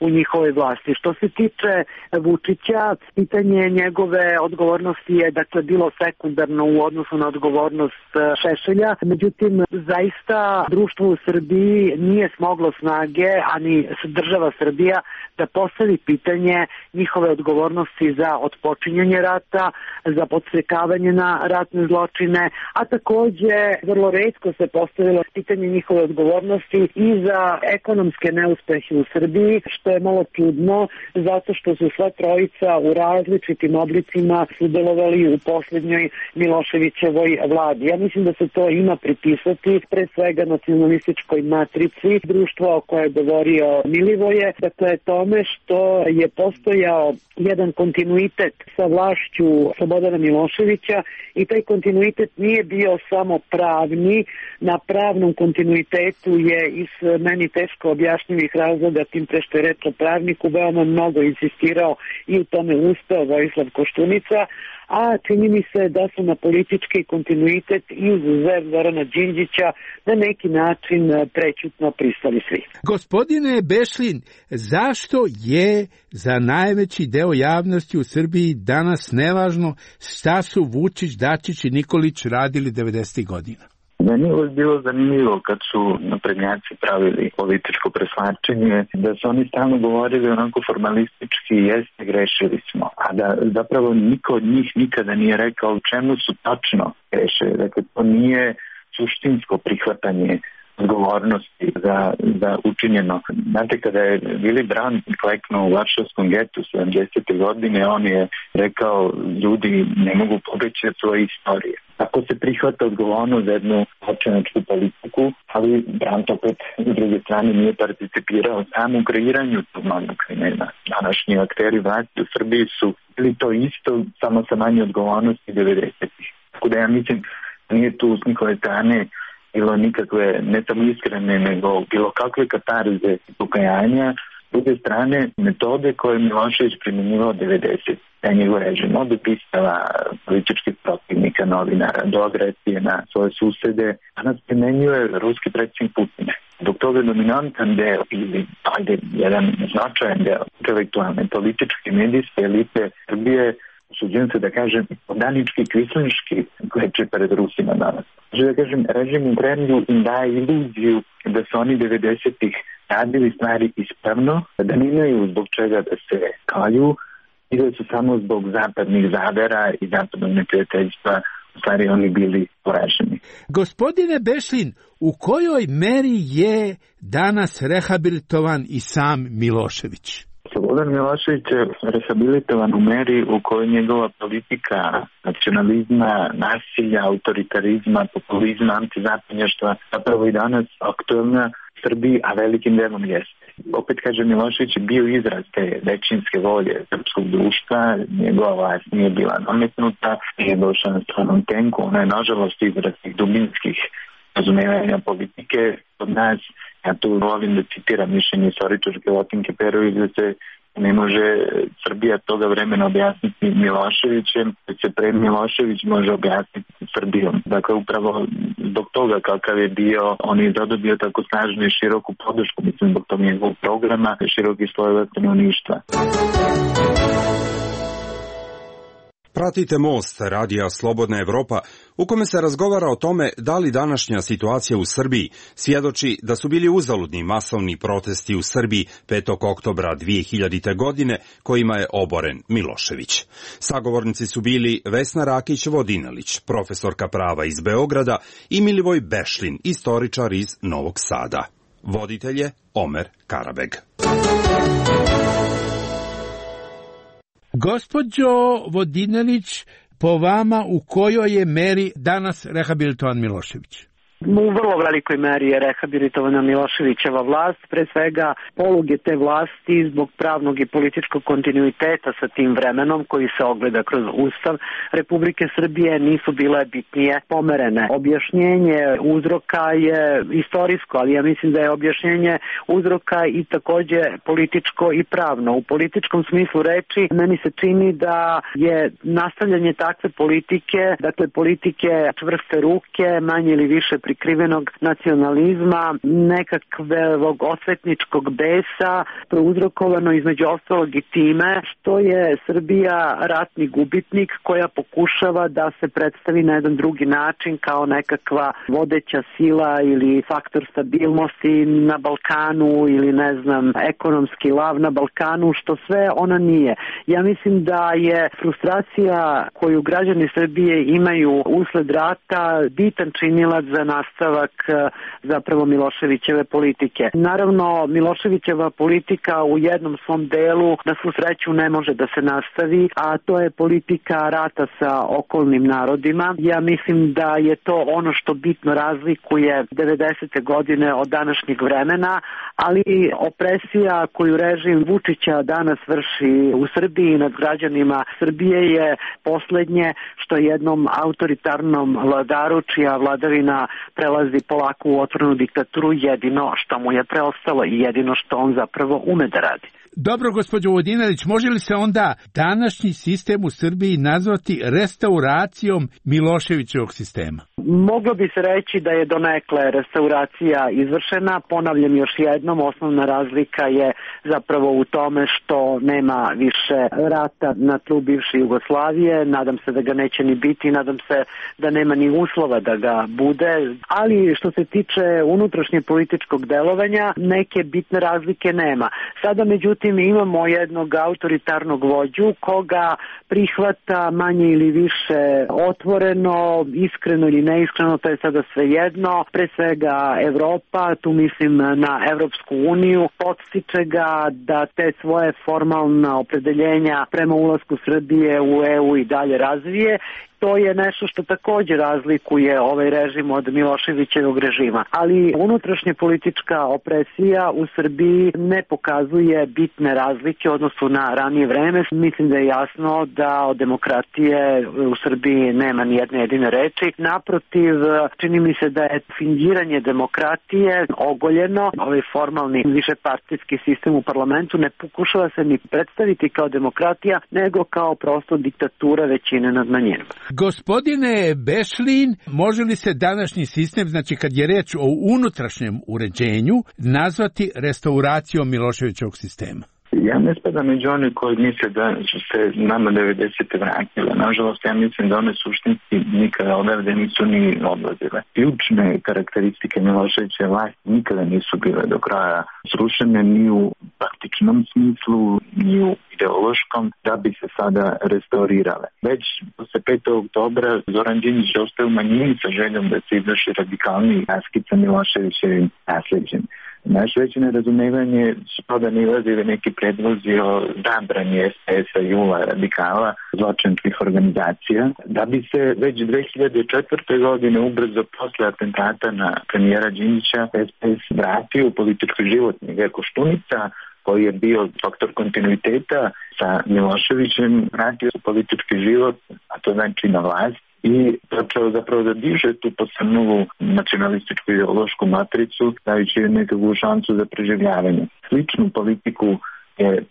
S14: u njihovoj vlasti. Što se tiče Vučića, pitanje njegove odgovornosti je dakle bilo sekundarno u odnosu na odgovornost Šešelja. Međutim, zaista društvo u Srbiji nije smoglo snage, ani država Srbija, da postavi pitanje njihove odgovornosti za otpočinjanje rata, za podstrekavanje na ratne zločine, a takođe vrlo retko se postavilo pitanje njihove odgovornosti i za ekonomske neuspehe u Srbiji, što je malo čudno, zato što su sva trojica u različitim oblicima sudjelovali u posljednjoj Miloševićevoj vladi. Ja mislim da se to ima pripisati pre svega nacionalističkoj matrici društva o kojoj je govorio Milivoje, dakle tome što je postojao jedan kontinuitet sa vlašću Slobodana Miloševića i taj kontinuitet nije bio samo pravni. Na pravnom kontinuitetu je iz meni teško objašnjivih razloga, tim pre što je reč o pravniku, veoma mnogo insistirao i u tome uspeo Vojislav Koštunica, a čini mi se da su na politički kontinuitet i uzev Zorana Đinđića na neki način prećutno pristali svi.
S13: Gospodine Bešlin, zašto je za najveći deo javnosti u Srbiji danas nevažno šta su Vučić, Dačić i Nikolić radili devedesetih godina?
S15: Meni je bilo zanimljivo kad su naprednjaci pravili političko preslačenje, da su oni stalno govorili onako formalistički, jeste, grešili smo, a da zapravo niko od njih nikada nije rekao u čemu su tačno grešili. Dakle, to nije suštinsko prihvatanje odgovornosti za, za učinjeno. Znate, kada je Willy Brandt kleknuo u Varšavskom getu sedamdesete godine, on je rekao, ljudi ne mogu pobeći od svoje istorije. Tako se prihvata odgovornost za jednu očinačku politiku, ali Brandt opet s druge strane nije participirao samo u kreiranju tog novog krimena. Današnji akteri vlasti u Srbiji su bili to isto, samo sa manje odgovornosti devedesetih. Tako da ja mislim, nije tu s njihove strane bilo nikakve, ne samo iskrene, nego bilo kakve katarze i pokajanja. S druge strane, metode koje Milošević primjenjivao devedeset, da je njegov režim od upistava političkih protivnika, novinara, do agresije na svoje susede, danas primenjuje ruski predsjednik Putin. Dok toga dominantan deo ili ajde, jedan značajan deo intelektualne, političke, medijske elite Srbije, usuđujem se da kažem, podanički, kvislinški kleče pred Rusima danas. Da kažem, režim u Kremlju im daje iluziju da su oni devedesetih radili stvari ispravno, da nemaju zbog čega da se kalju i da su samo zbog zapadnih zavera i zapadnog neprijateljstva u stvari oni bili poraženi.
S13: Gospodine Bešlin, u kojoj meri je danas rehabilitovan i sam Milošević?
S15: Slobodan Milošević je rehabilitovan u meri u kojoj njegova politika nacionalizma, nasilja, autoritarizma, populizma, antizapadnjaštva zapravo i danas aktualna Srbiji, a velikim delom jeste. Opet kažem, Milošević je bio izraz te većinske volje srpskog društva, njegova vlast nije bila nametnuta, nije došla na stranom tenku, ona je nažalost izraz tih dubinskih razumevanja politike od nas. Ja tu volim da citiram mišljenje istoričarke Lotinke Perović da se Ne može Srbija toga vremena objasniti Miloševićem, već se pred Milošević može objasniti Srbijom. Dakle, upravo zbog toga kakav je bio, on je zadobio tako snažnu i široku podršku, mislim, zbog tog njegovog programa, široki slojeva stanovništva.
S9: Pratite Most, radija Slobodna Evropa, u kome se razgovara o tome da li današnja situacija u Srbiji svjedoči da su bili uzaludni masovni protesti u Srbiji petog oktobra dvije hiljadite. godine kojima je oboren Milošević. Sagovornici su bili Vesna Rakić-Vodinelić, profesorka prava iz Beograda, i Milivoj Bešlin, istoričar iz Novog Sada. Voditelj je Omer Karabeg.
S13: Gospođo Vodinelić, po vama u kojoj je meri danas rehabilitovan Milošević?
S14: U vrlo velikoj meri je rehabilitovana Miloševićeva vlast, pre svega poluge te vlasti zbog pravnog i političkog kontinuiteta sa tim vremenom koji se ogleda kroz Ustav Republike Srbije nisu bile bitnije pomerene. Objašnjenje uzroka je istorijsko, ali ja mislim da je objašnjenje uzroka i takođe političko i pravno. U političkom smislu reči meni se čini da je nastavljanje takve politike, dakle politike čvrste ruke, manje ili više prikrivenog nacionalizma, nekakvog osvetničkog besa, prouzrokovano između ostalog i time što je Srbija ratni gubitnik koja pokušava da se predstavi na jedan drugi način kao nekakva vodeća sila ili faktor stabilnosti na Balkanu ili ne znam, ekonomski lav na Balkanu, što sve ona nije. Ja mislim da je frustracija koju građani Srbije imaju usled rata bitan činilac za nastavak zapravo Miloševićeve politike. Naravno, Miloševićeva politika u jednom svom delu na svu sreću ne može da se nastavi, a to je politika rata sa okolnim narodima. Ja mislim da je to ono što bitno razlikuje devedesete godine od današnjeg vremena, ali opresija koju režim Vučića danas vrši u Srbiji nad građanima Srbije je poslednje što jednom autoritarnom vladaru čija vladavina prelazi polako u otvorenu diktaturu jedino što mu je preostalo i jedino što on zapravo ume da radi.
S13: Dobro, gospođo Vodinelić, može li se onda današnji sistem u Srbiji nazvati restauracijom Miloševićevog sistema?
S14: Moglo bi se reći da je donekle restauracija izvršena. Ponavljam još jednom, osnovna razlika je zapravo u tome što nema više rata na tlu bivše Jugoslavije. Nadam se da ga neće ni biti, nadam se da nema ni uslova da ga bude. Ali što se tiče unutrašnje političkog delovanja, neke bitne razlike nema. Sada međutim imamo jednog autoritarnog vođu koga prihvata manje ili više otvoreno, iskreno ili neiskreno, to je sada svejedno. Pre svega Evropa, tu mislim na Evropsku uniju, podstiče ga da te svoje formalna opredeljenja prema ulasku Srbije u E U i dalje razvije. To je nešto što također razlikuje ovaj režim od Miloševićevog režima. Ali unutrašnja politička opresija u Srbiji ne pokazuje bitne razlike u odnosu na ranije vreme. Mislim da je jasno da od demokratije u Srbiji nema ni jedne jedine reči. Naprotiv, čini mi se da je fingiranje demokratije ogoljeno. Ovaj formalni višepartijski sistem u parlamentu ne pokušava se ni predstaviti kao demokratija, nego kao prosto diktatura većine nad manjinom.
S13: Gospodine Bešlin, može li se današnji sistem, znači kad je reč o unutrašnjem uređenju, nazvati restauracijom Miloševićevog sistema?
S15: Ja ne spadam među one koji misle da su se nama devedesete vratile. Nažalost, ja mislim da one suštinski nikada odavde nisu ni odlazile. Ključne karakteristike Miloševićeve vlasti nikada nisu bile do kraja srušene ni u praktičnom smislu, ni u ideološkom, da bi se sada restaurirale. Već posle petog oktobra Zoran Đinđić ostaje u manjini sa željom da se izvrši radikalni raskid sa Miloševićevim nasleđem. Naše veće nerazumevanje su to da nilazili neki predlozi o zabrani S P S-a i U A radikala, zločinskih organizacija, da bi se već dve hiljade četvrte. godine ubrzo posle atentata na premijera Đinđića S P S vratio u politički život Mile Koštunica, koji je bio faktor kontinuiteta sa Miloševićem, vratio u politički život, a to znači na vlast, i počeo zapravo da diže tu posebnu nacionalističku ideološku matricu, dajući nekakvu šansu za preživljavanje. Sličnu politiku je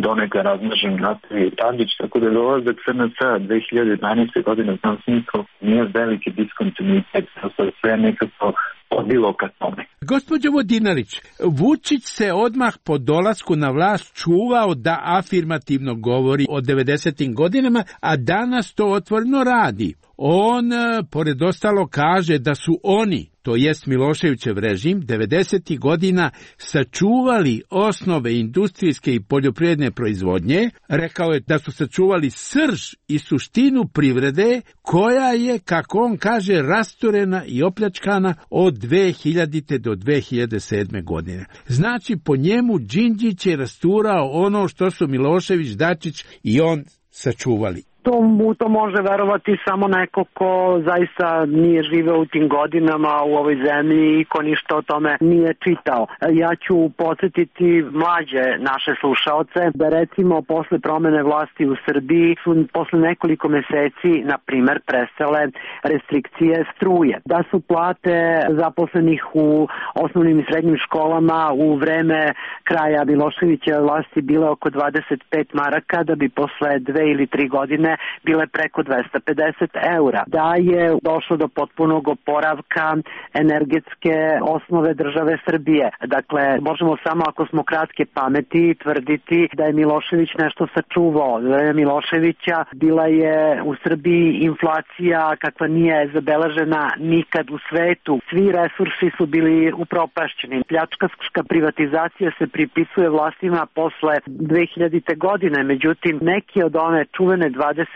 S15: donekle razmažen Natalije Tadić, tako da dolazak S N S dve hiljade dvanaeste. godine u tom smislu nije veliki diskontinuitet, to sve nekako odilo ka tome.
S13: Gospođo Vodinelić, Vučić se odmah po dolasku na vlast čuvao da afirmativno govori o devedesetim godinama, a danas to otvoreno radi. On, pored ostalo, kaže da su oni, to jest Miloševićev režim, devedesetih godina sačuvali osnove industrijske i poljoprivredne proizvodnje. Rekao je da su sačuvali srž i suštinu privrede koja je, kako on kaže, rasturena i opljačkana od dve hiljadite. do dve hiljade sedme. godine. Znači, po njemu Đinđić je rasturao ono što su Milošević, Dačić i on sačuvali.
S14: To, mu to može verovati samo neko ko zaista nije živeo u tim godinama u ovoj zemlji i ko ništa o tome nije čitao. Ja ću podsjetiti mlađe naše slušaoce da recimo posle promene vlasti u Srbiji su posle nekoliko meseci, na primer, prestale restrikcije struje. Da su plate zaposlenih u osnovnim i srednjim školama u vreme kraja Miloševićeve vlasti bile oko dvadeset pet maraka, da bi posle dve ili tri godine bile preko dvesta pedeset eura. Da je došlo do potpunog oporavka energetske osnove države Srbije. Dakle, možemo samo ako smo kratke pameti tvrditi da je Milošević nešto sačuvao. Da je Miloševića bila je u Srbiji inflacija kakva nije zabeležena nikad u svetu. Svi resursi su bili upropašćeni. Pljačkaška privatizacija se pripisuje vlastima posle dve hiljadite. godine, međutim neki od one čuvene dvadeset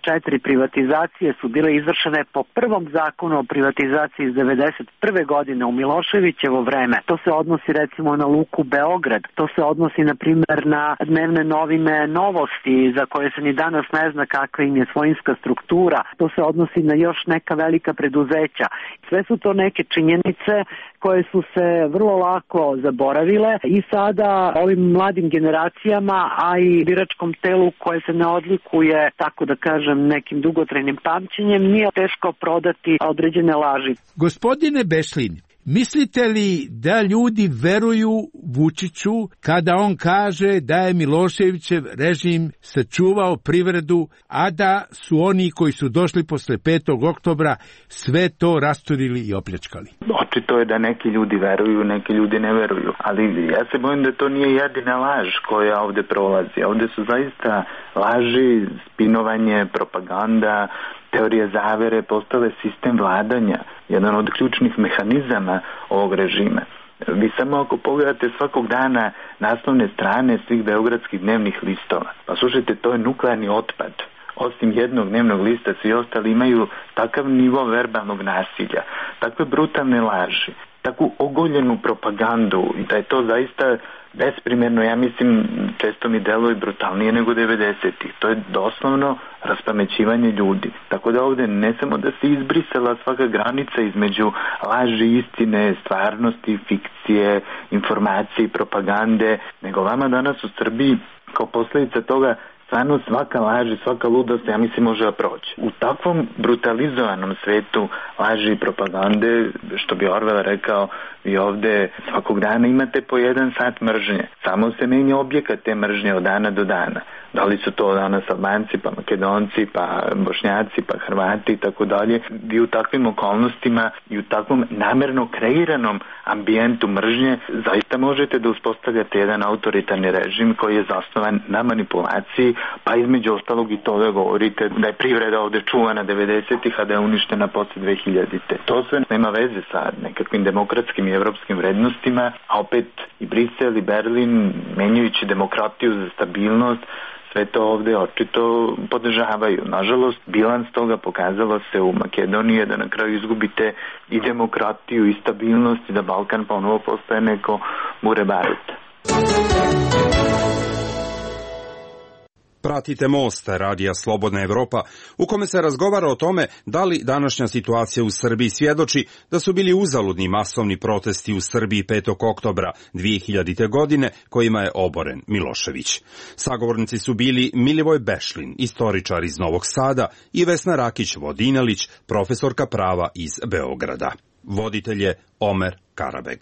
S14: četiri privatizacije su bile izvršene po prvom zakonu o privatizaciji iz devedeset prve. godine u Miloševićevo vreme. To se odnosi recimo na Luku Beograd, to se odnosi na primjer na dnevne novine Novosti za koje se ni danas ne zna kakva im je svojinska struktura, to se odnosi na još neka velika preduzeća. Sve su to neke činjenice koje su se vrlo lako zaboravile i sada ovim mladim generacijama, a i biračkom telu koje se ne odlikuje, tako da kažem, nekim dugotrajnim pamćenjem, nije teško prodati određene laži.
S13: Gospodine Bešlin, mislite li da ljudi veruju Vučiću kada on kaže da je Miloševićev režim sačuvao privredu, a da su oni koji su došli posle petog oktobra sve to rasturili i opljačkali?
S15: Očito je da neki ljudi veruju, neki ljudi ne veruju, ali ja se bojim da to nije jedina laž koja ovde prolazi. Ovde su zaista laži, spinovanje, propaganda, teorije zavere postale sistem vladanja, jedan od ključnih mehanizama ovog režima. Vi samo ako pogledate svakog dana naslovne strane svih beogradskih dnevnih listova, pa slušajte, to je nuklearni otpad. Osim jednog dnevnog lista, svi ostali imaju takav nivo verbalnog nasilja, takve brutalne laži, takvu ogoljenu propagandu, da je to zaista besprimjerno, ja mislim, često mi deluje brutalnije nego devedesetih. To je doslovno raspamećivanje ljudi. Tako da ovde ne samo da se izbrisala svaka granica između laži, istine, stvarnosti, fikcije, informacije i propagande, nego vama danas u Srbiji kao posljedica toga stvarno svaka laž i svaka ludost, ja mislim, može da proći. U takvom brutalizovanom svetu laži i propagande, što bi Orwell rekao, vi ovde svakog dana imate po jedan sat mržnje. Samo se menja objekat te mržnje od dana do dana. Da li su to danas Albanci, pa Makedonci, pa Bošnjaci, pa Hrvati i tako dalje. Vi u takvim okolnostima i u takvom namerno kreiranom ambijentu mržnje zaista možete da uspostavljate jedan autoritarni režim koji je zasnovan na manipulaciji, pa između ostalog i to da govorite da je privreda ovde čuvana devedesetih, a da je uništena posle dve hiljadite. To sve nema veze sa nekakvim demokratskim i evropskim vrednostima, a opet i Brisel i Berlin, menjajući demokratiju za stabilnost, sve to ovde očito podržavaju. Nažalost, bilans toga pokazalo se u Makedoniji da na kraju izgubite i demokratiju i stabilnost i da Balkan ponovo postaje neko bure baruta.
S9: Pratite Most, radija Slobodna Evropa, u kome se razgovara o tome da li današnja situacija u Srbiji svjedoči da su bili uzaludni masovni protesti u Srbiji petog oktobra dve hiljadite. godine kojima je oboren Milošević. Sagovornici su bili Milivoj Bešlin, istoričar iz Novog Sada, i Vesna Rakić-Vodinelić, profesorka prava iz Beograda. Voditelj je Omer Karabeg.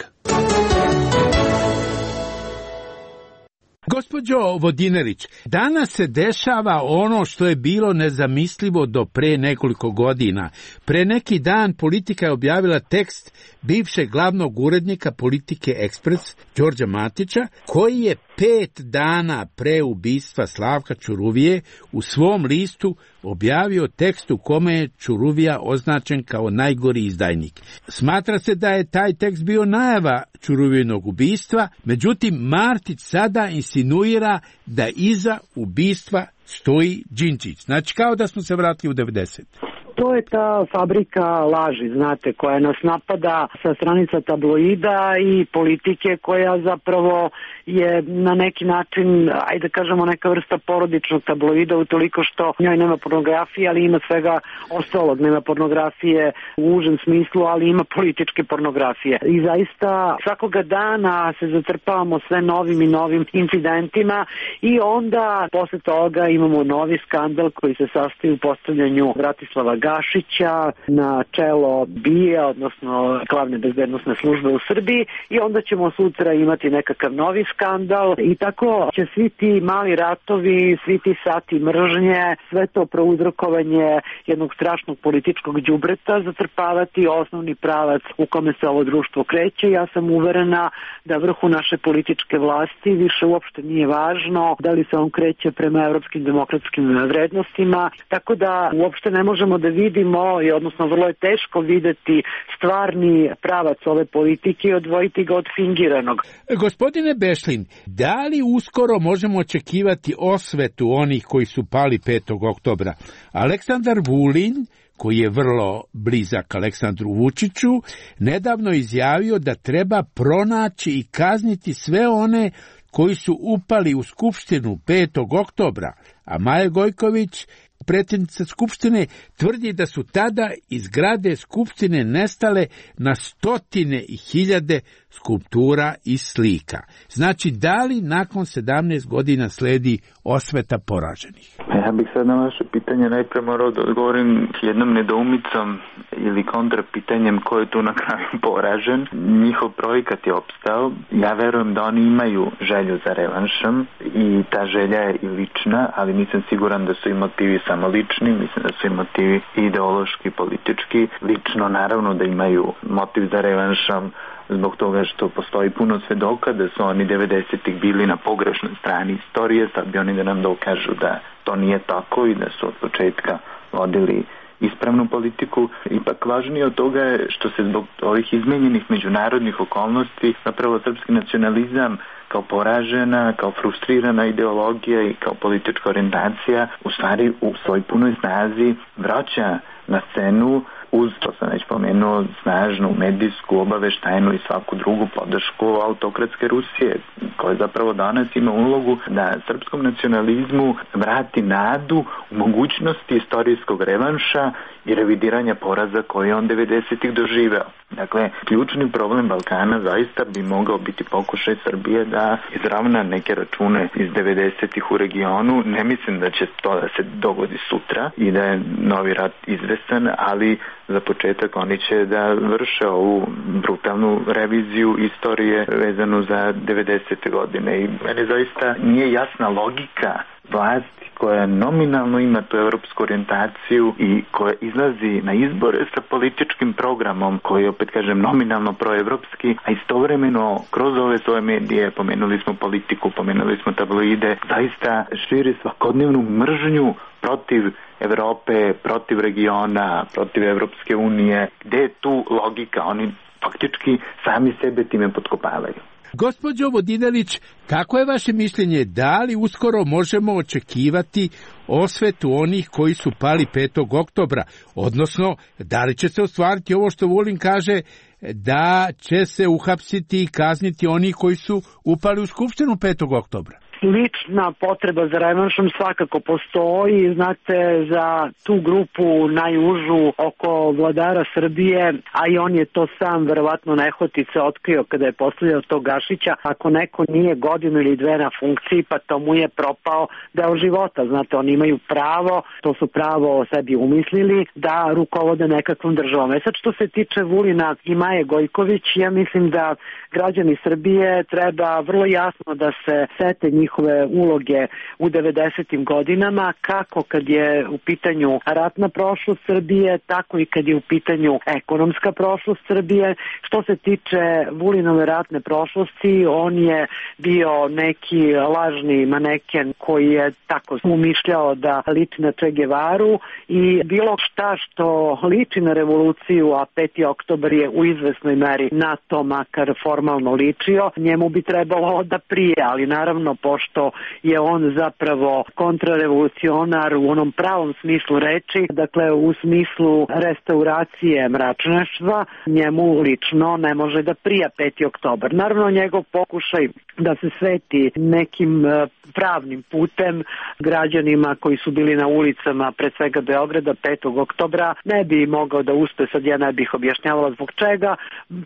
S13: Gospođo Vodinelić, danas se dešava ono što je bilo nezamislivo do pre nekoliko godina. Pre neki dan Politika je objavila tekst bivšeg glavnog urednika Politike Ekspres, Đorđa Matića, koji je pet dana pre ubistva Slavka Ćuruvije u svom listu objavio tekst u kome je Ćuruvija označen kao najgori izdajnik. Smatra se da je taj tekst bio najava Ćuruvijinog ubistva, međutim Martić sada insinuira da iza ubistva stoji Đinđić. Znači kao da smo se vratili u devedesete.
S14: To je ta fabrika laži, znate, koja nas napada sa stranica tabloida i politike koja zapravo je na neki način, ajde kažemo, neka vrsta porodičnog tabloida utoliko što njoj nema pornografije, ali ima svega ostalog. Nema pornografije u užem smislu, ali ima političke pornografije. I zaista svakoga dana se zatrpavamo sve novim i novim incidentima i onda posle toga imamo novi skandal koji se sastoji u postavljanju Bratislava Gašića na čelo B I A, odnosno glavne bezbednosne službe u Srbiji, i onda ćemo sutra imati nekakav novi skandal i tako će svi ti mali ratovi, svi ti sati mržnje, sve to prouzrokovanje jednog strašnog političkog đubreta zatrpavati osnovni pravac u kome se ovo društvo kreće. Ja sam uverena da vrhu naše političke vlasti više uopšte nije važno da li se on kreće prema evropskim demokratskim vrednostima, tako da uopšte ne možemo da vidimo, i odnosno vrlo je teško videti stvarni pravac ove politike i odvojiti ga od fingiranog.
S13: Gospodine Bešlin, da li uskoro možemo očekivati osvetu onih koji su pali petog oktobra? Aleksandar Vulin, koji je vrlo blizak Aleksandru Vučiću, nedavno izjavio da treba pronaći i kazniti sve one koji su upali u Skupštinu petog oktobra, a Maja Gojković, predsjednica Skupštine, tvrdi da su tada iz zgrade Skupštine nestale na stotine i hiljade skulptura i slika. Znači, da li nakon sedamnaest godina sledi osveta poraženih?
S15: Ja bih sad na vaše pitanje najpre morao da odgovorim jednom nedoumicom ili kontrapitanjem ko je tu na kraju poražen. Njihov projekat je opstao. Ja verujem da oni imaju želju za revanšom i ta želja je i lična, ali nisam siguran da su i motivi samo lični, mislim da su i motivi ideološki, politički. Lično naravno da imaju motiv za revanšom zbog toga što postoji puno svedoka da su oni devedesetih bili na pogrešnoj strani istorije, sad bi oni da nam dokažu da to nije tako i da su od početka vodili ispravnu politiku. Ipak važnije od toga je što se zbog ovih izmenjenih međunarodnih okolnosti zapravo srpski nacionalizam kao poražena, kao frustrirana ideologija i kao politička orijentacija u stvari u svoj punoj snazi vraća na scenu uz, to sam već pomenuo, snažnu medijsku, obaveštajnu i svaku drugu podršku autokratske Rusije, koja zapravo danas ima ulogu da srpskom nacionalizmu vrati nadu u mogućnosti istorijskog revanša i revidiranja poraza koje on devedesetih doživeo. Dakle, ključni problem Balkana zaista bi mogao biti pokušaj Srbije da izravna neke račune iz devedesetih u regionu. Ne mislim da će to da se dogodi sutra i da je novi rat izvesan, ali za početak oni će da vrše ovu brutalnu reviziju istorije vezanu za devedesete godine. I meni zaista nije jasna logika vlasti koja nominalno ima tu evropsku orijentaciju i koja izlazi na izbore sa političkim programom koji je, opet kažem, nominalno proevropski, a istovremeno kroz ove svoje medije, pomenuli smo politiku, pomenuli smo tabloide, zaista širi svakodnevnu mržnju protiv Evrope, protiv regiona, protiv Evropske unije. Gde je tu logika? Oni faktički sami sebe time potkopavaju.
S13: Gospođo Vodinelić, kako je vaše mišljenje, da li uskoro možemo očekivati osvetu onih koji su pali petog oktobra, odnosno da li će se ostvariti ovo što Vulin kaže, da će se uhapsiti i kazniti oni koji su upali u Skupštinu petog oktobra?
S14: Lična potreba za revanšom svakako postoji, znate, za tu grupu najužu oko vladara Srbije, a i on je to sam verovatno nehotice otkrio kada je postavljao tog Gašića. Ako neko nije godinu ili dve na funkciji, pa to mu je propao deo života, znate, oni imaju pravo, to su pravo o sebi umislili, da rukovode nekakvom državom. E sad, što se tiče Vulina i Maje Gojković, ja mislim da građani Srbije treba vrlo jasno da se sete njih njihove uloge u devedesetim godinama, kako kad je u pitanju ratna prošlost Srbije, tako i kad je u pitanju ekonomska prošlost Srbije. Što se tiče Vulinove ratne prošlosti, on je bio neki lažni maneken koji je tako umišljao da liči na Che Guevaru i bilo šta što liči na revoluciju, a peti oktobar je u izvesnoj meri na to makar formalno ličio, njemu bi trebalo da prije, ali naravno pošto je on zapravo kontrarevolucionar u onom pravom smislu reči, dakle u smislu restauracije mračnjaštva, njemu lično ne može da prija peti oktobar. Naravno njegov pokušaj da se sveti nekim pravnim putem građanima koji su bili na ulicama pre svega Beograda petog oktobra ne bi mogao da uspe, sad ja ne bih objašnjavala zbog čega,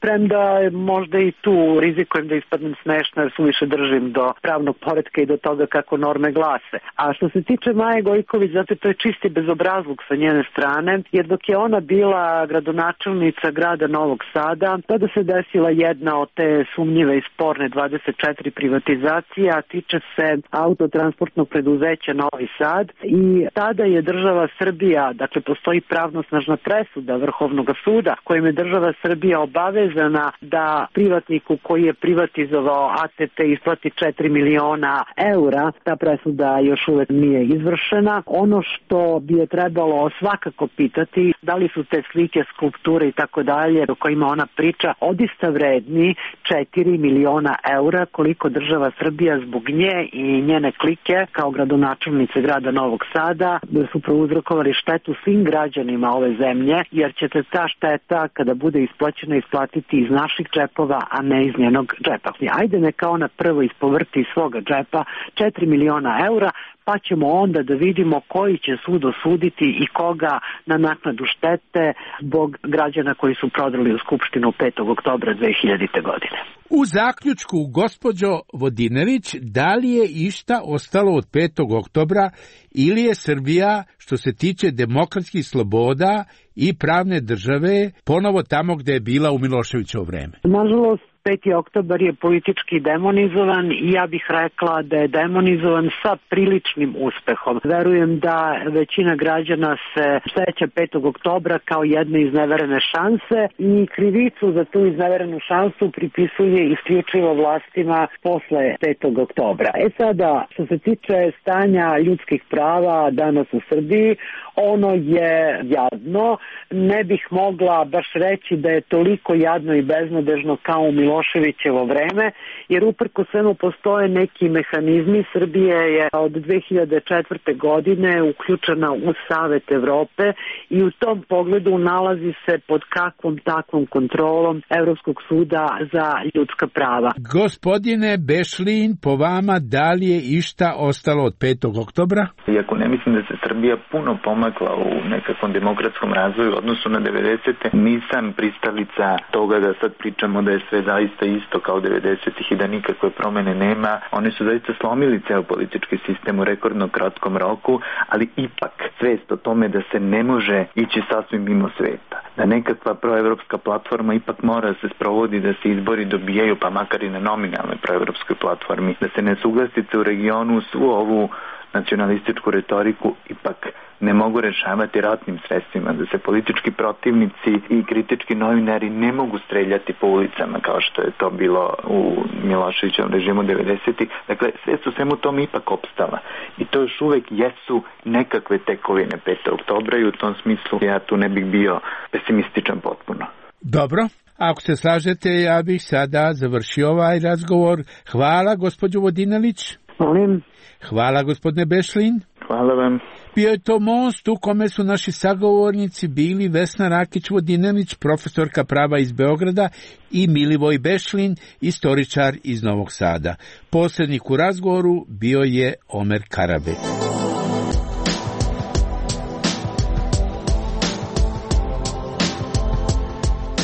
S14: premda možda i tu rizikujem da ispadnem smešna jer suviše držim do pravnog poretka i do toga kako norme glase. A što se tiče Maje Gojković, zato to je čisti bezobrazluk sa njene strane, jer dok je ona bila gradonačelnica grada Novog Sada, tada se desila jedna od te sumnjive i sporne dvadeset četiri privatizacije, a tiče se autotransportnog preduzeća Novi Sad i tada je država Srbija, dakle postoji pravnosnažna presuda Vrhovnog suda kojim je država Srbija obavezana da privatniku koji je privatizovao A T T isplati četiri miliona eura. Ta presuda još uvek nije izvršena. Ono što bi je trebalo svakako pitati, da li su te slike, skulpture i tako dalje o kojima ona priča odista vredni četiri miliona eura, koliko država Srbija zbog nje i njene klike kao gradonačelnice grada Novog Sada su prouzrokovali štetu svim građanima ove zemlje, jer ćete ta šteta kada bude isplaćena isplatiti iz naših džepova, a ne iz njenog džepa. Ajde neka ona prvo ispovrti iz svoga džepa četiri miliona eura, pa ćemo onda da vidimo koji će sud osuditi i koga na naknadu štete zbog građana koji su prodali u Skupštinu petog oktobra dve hiljadite. godine.
S13: U zaključku, gospođo Vodinelić, da li je išta ostalo od petog oktobra ili je Srbija, što se tiče demokratskih sloboda i pravne države, ponovo tamo gde je bila u Miloševićevo vreme?
S14: Nažalost, peti oktobar je politički demonizovan i ja bih rekla da je demonizovan sa priličnim uspehom. Verujem da većina građana se seća petog oktobra kao jedne izneverene šanse i krivicu za tu izneverenu šansu pripisuje isključivo vlastima posle petog oktobra. E sada, što se tiče stanja ljudskih prava danas u Srbiji, ono je jadno. Ne bih mogla baš reći da je toliko jadno i beznadežno kao u Miloševićevo vreme, jer uprko svemu postoje neki mehanizmi. Srbija je od dve hiljade četvrte. godine uključena u Savet Evrope i u tom pogledu nalazi se pod kakvom takvom kontrolom Evropskog suda za ljudska prava.
S13: Gospodine Bešlin, po vama da li je išta ostalo od petog oktobra?
S15: Iako ne mislim da se Srbija puno pomakla u nekakvom demokratskom razvoju u odnosu na devedesete. Nisam pristalica toga da sad pričamo da je sve zaista isto kao devedesetih i da nikakve promene nema. Oni su zaista slomili ceo politički sistem u rekordno kratkom roku, ali ipak svest o tome da se ne može ići sasvim mimo sveta. Da nekakva proevropska platforma ipak mora se sprovodi, da se izbori dobijaju, pa makar i na nominalnoj proevropskoj platformi, da se nesuglasice u regionu svu ovu nacionalističku retoriku ipak ne mogu rešavati ratnim sredstvima, da se politički protivnici i kritički novinari ne mogu streljati po ulicama kao što je to bilo u Miloševićevom režimu devedesetih. Dakle, sve su svemu tom ipak opstala. I to još uvek jesu nekakve tekovine petog oktobra i u tom smislu ja tu ne bih bio pesimističan potpuno.
S13: Dobro. Ako se slažete, ja bih sada završio ovaj razgovor. Hvala, gospođo Vodinelić.
S14: Molim.
S13: Hvala, gospodine Bešlin.
S15: Hvala vam.
S13: Bio je to most u kome su naši sagovornici bili Vesna Rakić-Vodinelić, profesorka prava iz Beograda, i Milivoj Bešlin, istoričar iz Novog Sada. Posrednik u razgovoru bio je Omer Karabek.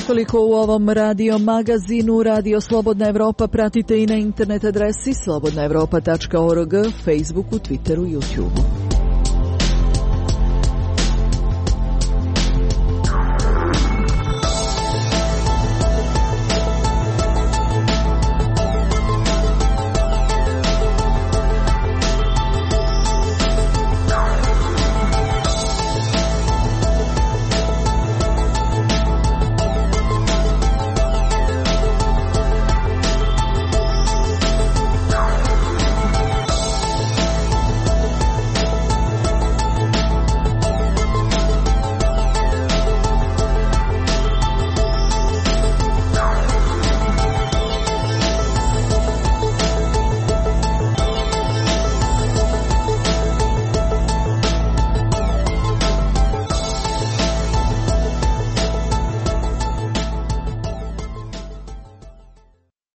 S12: Toliko u ovom radio magazinu. Radio Slobodna Evropa pratite i na internet adresi slobodna evropa tačka org, Facebooku, Twitteru, YouTubeu.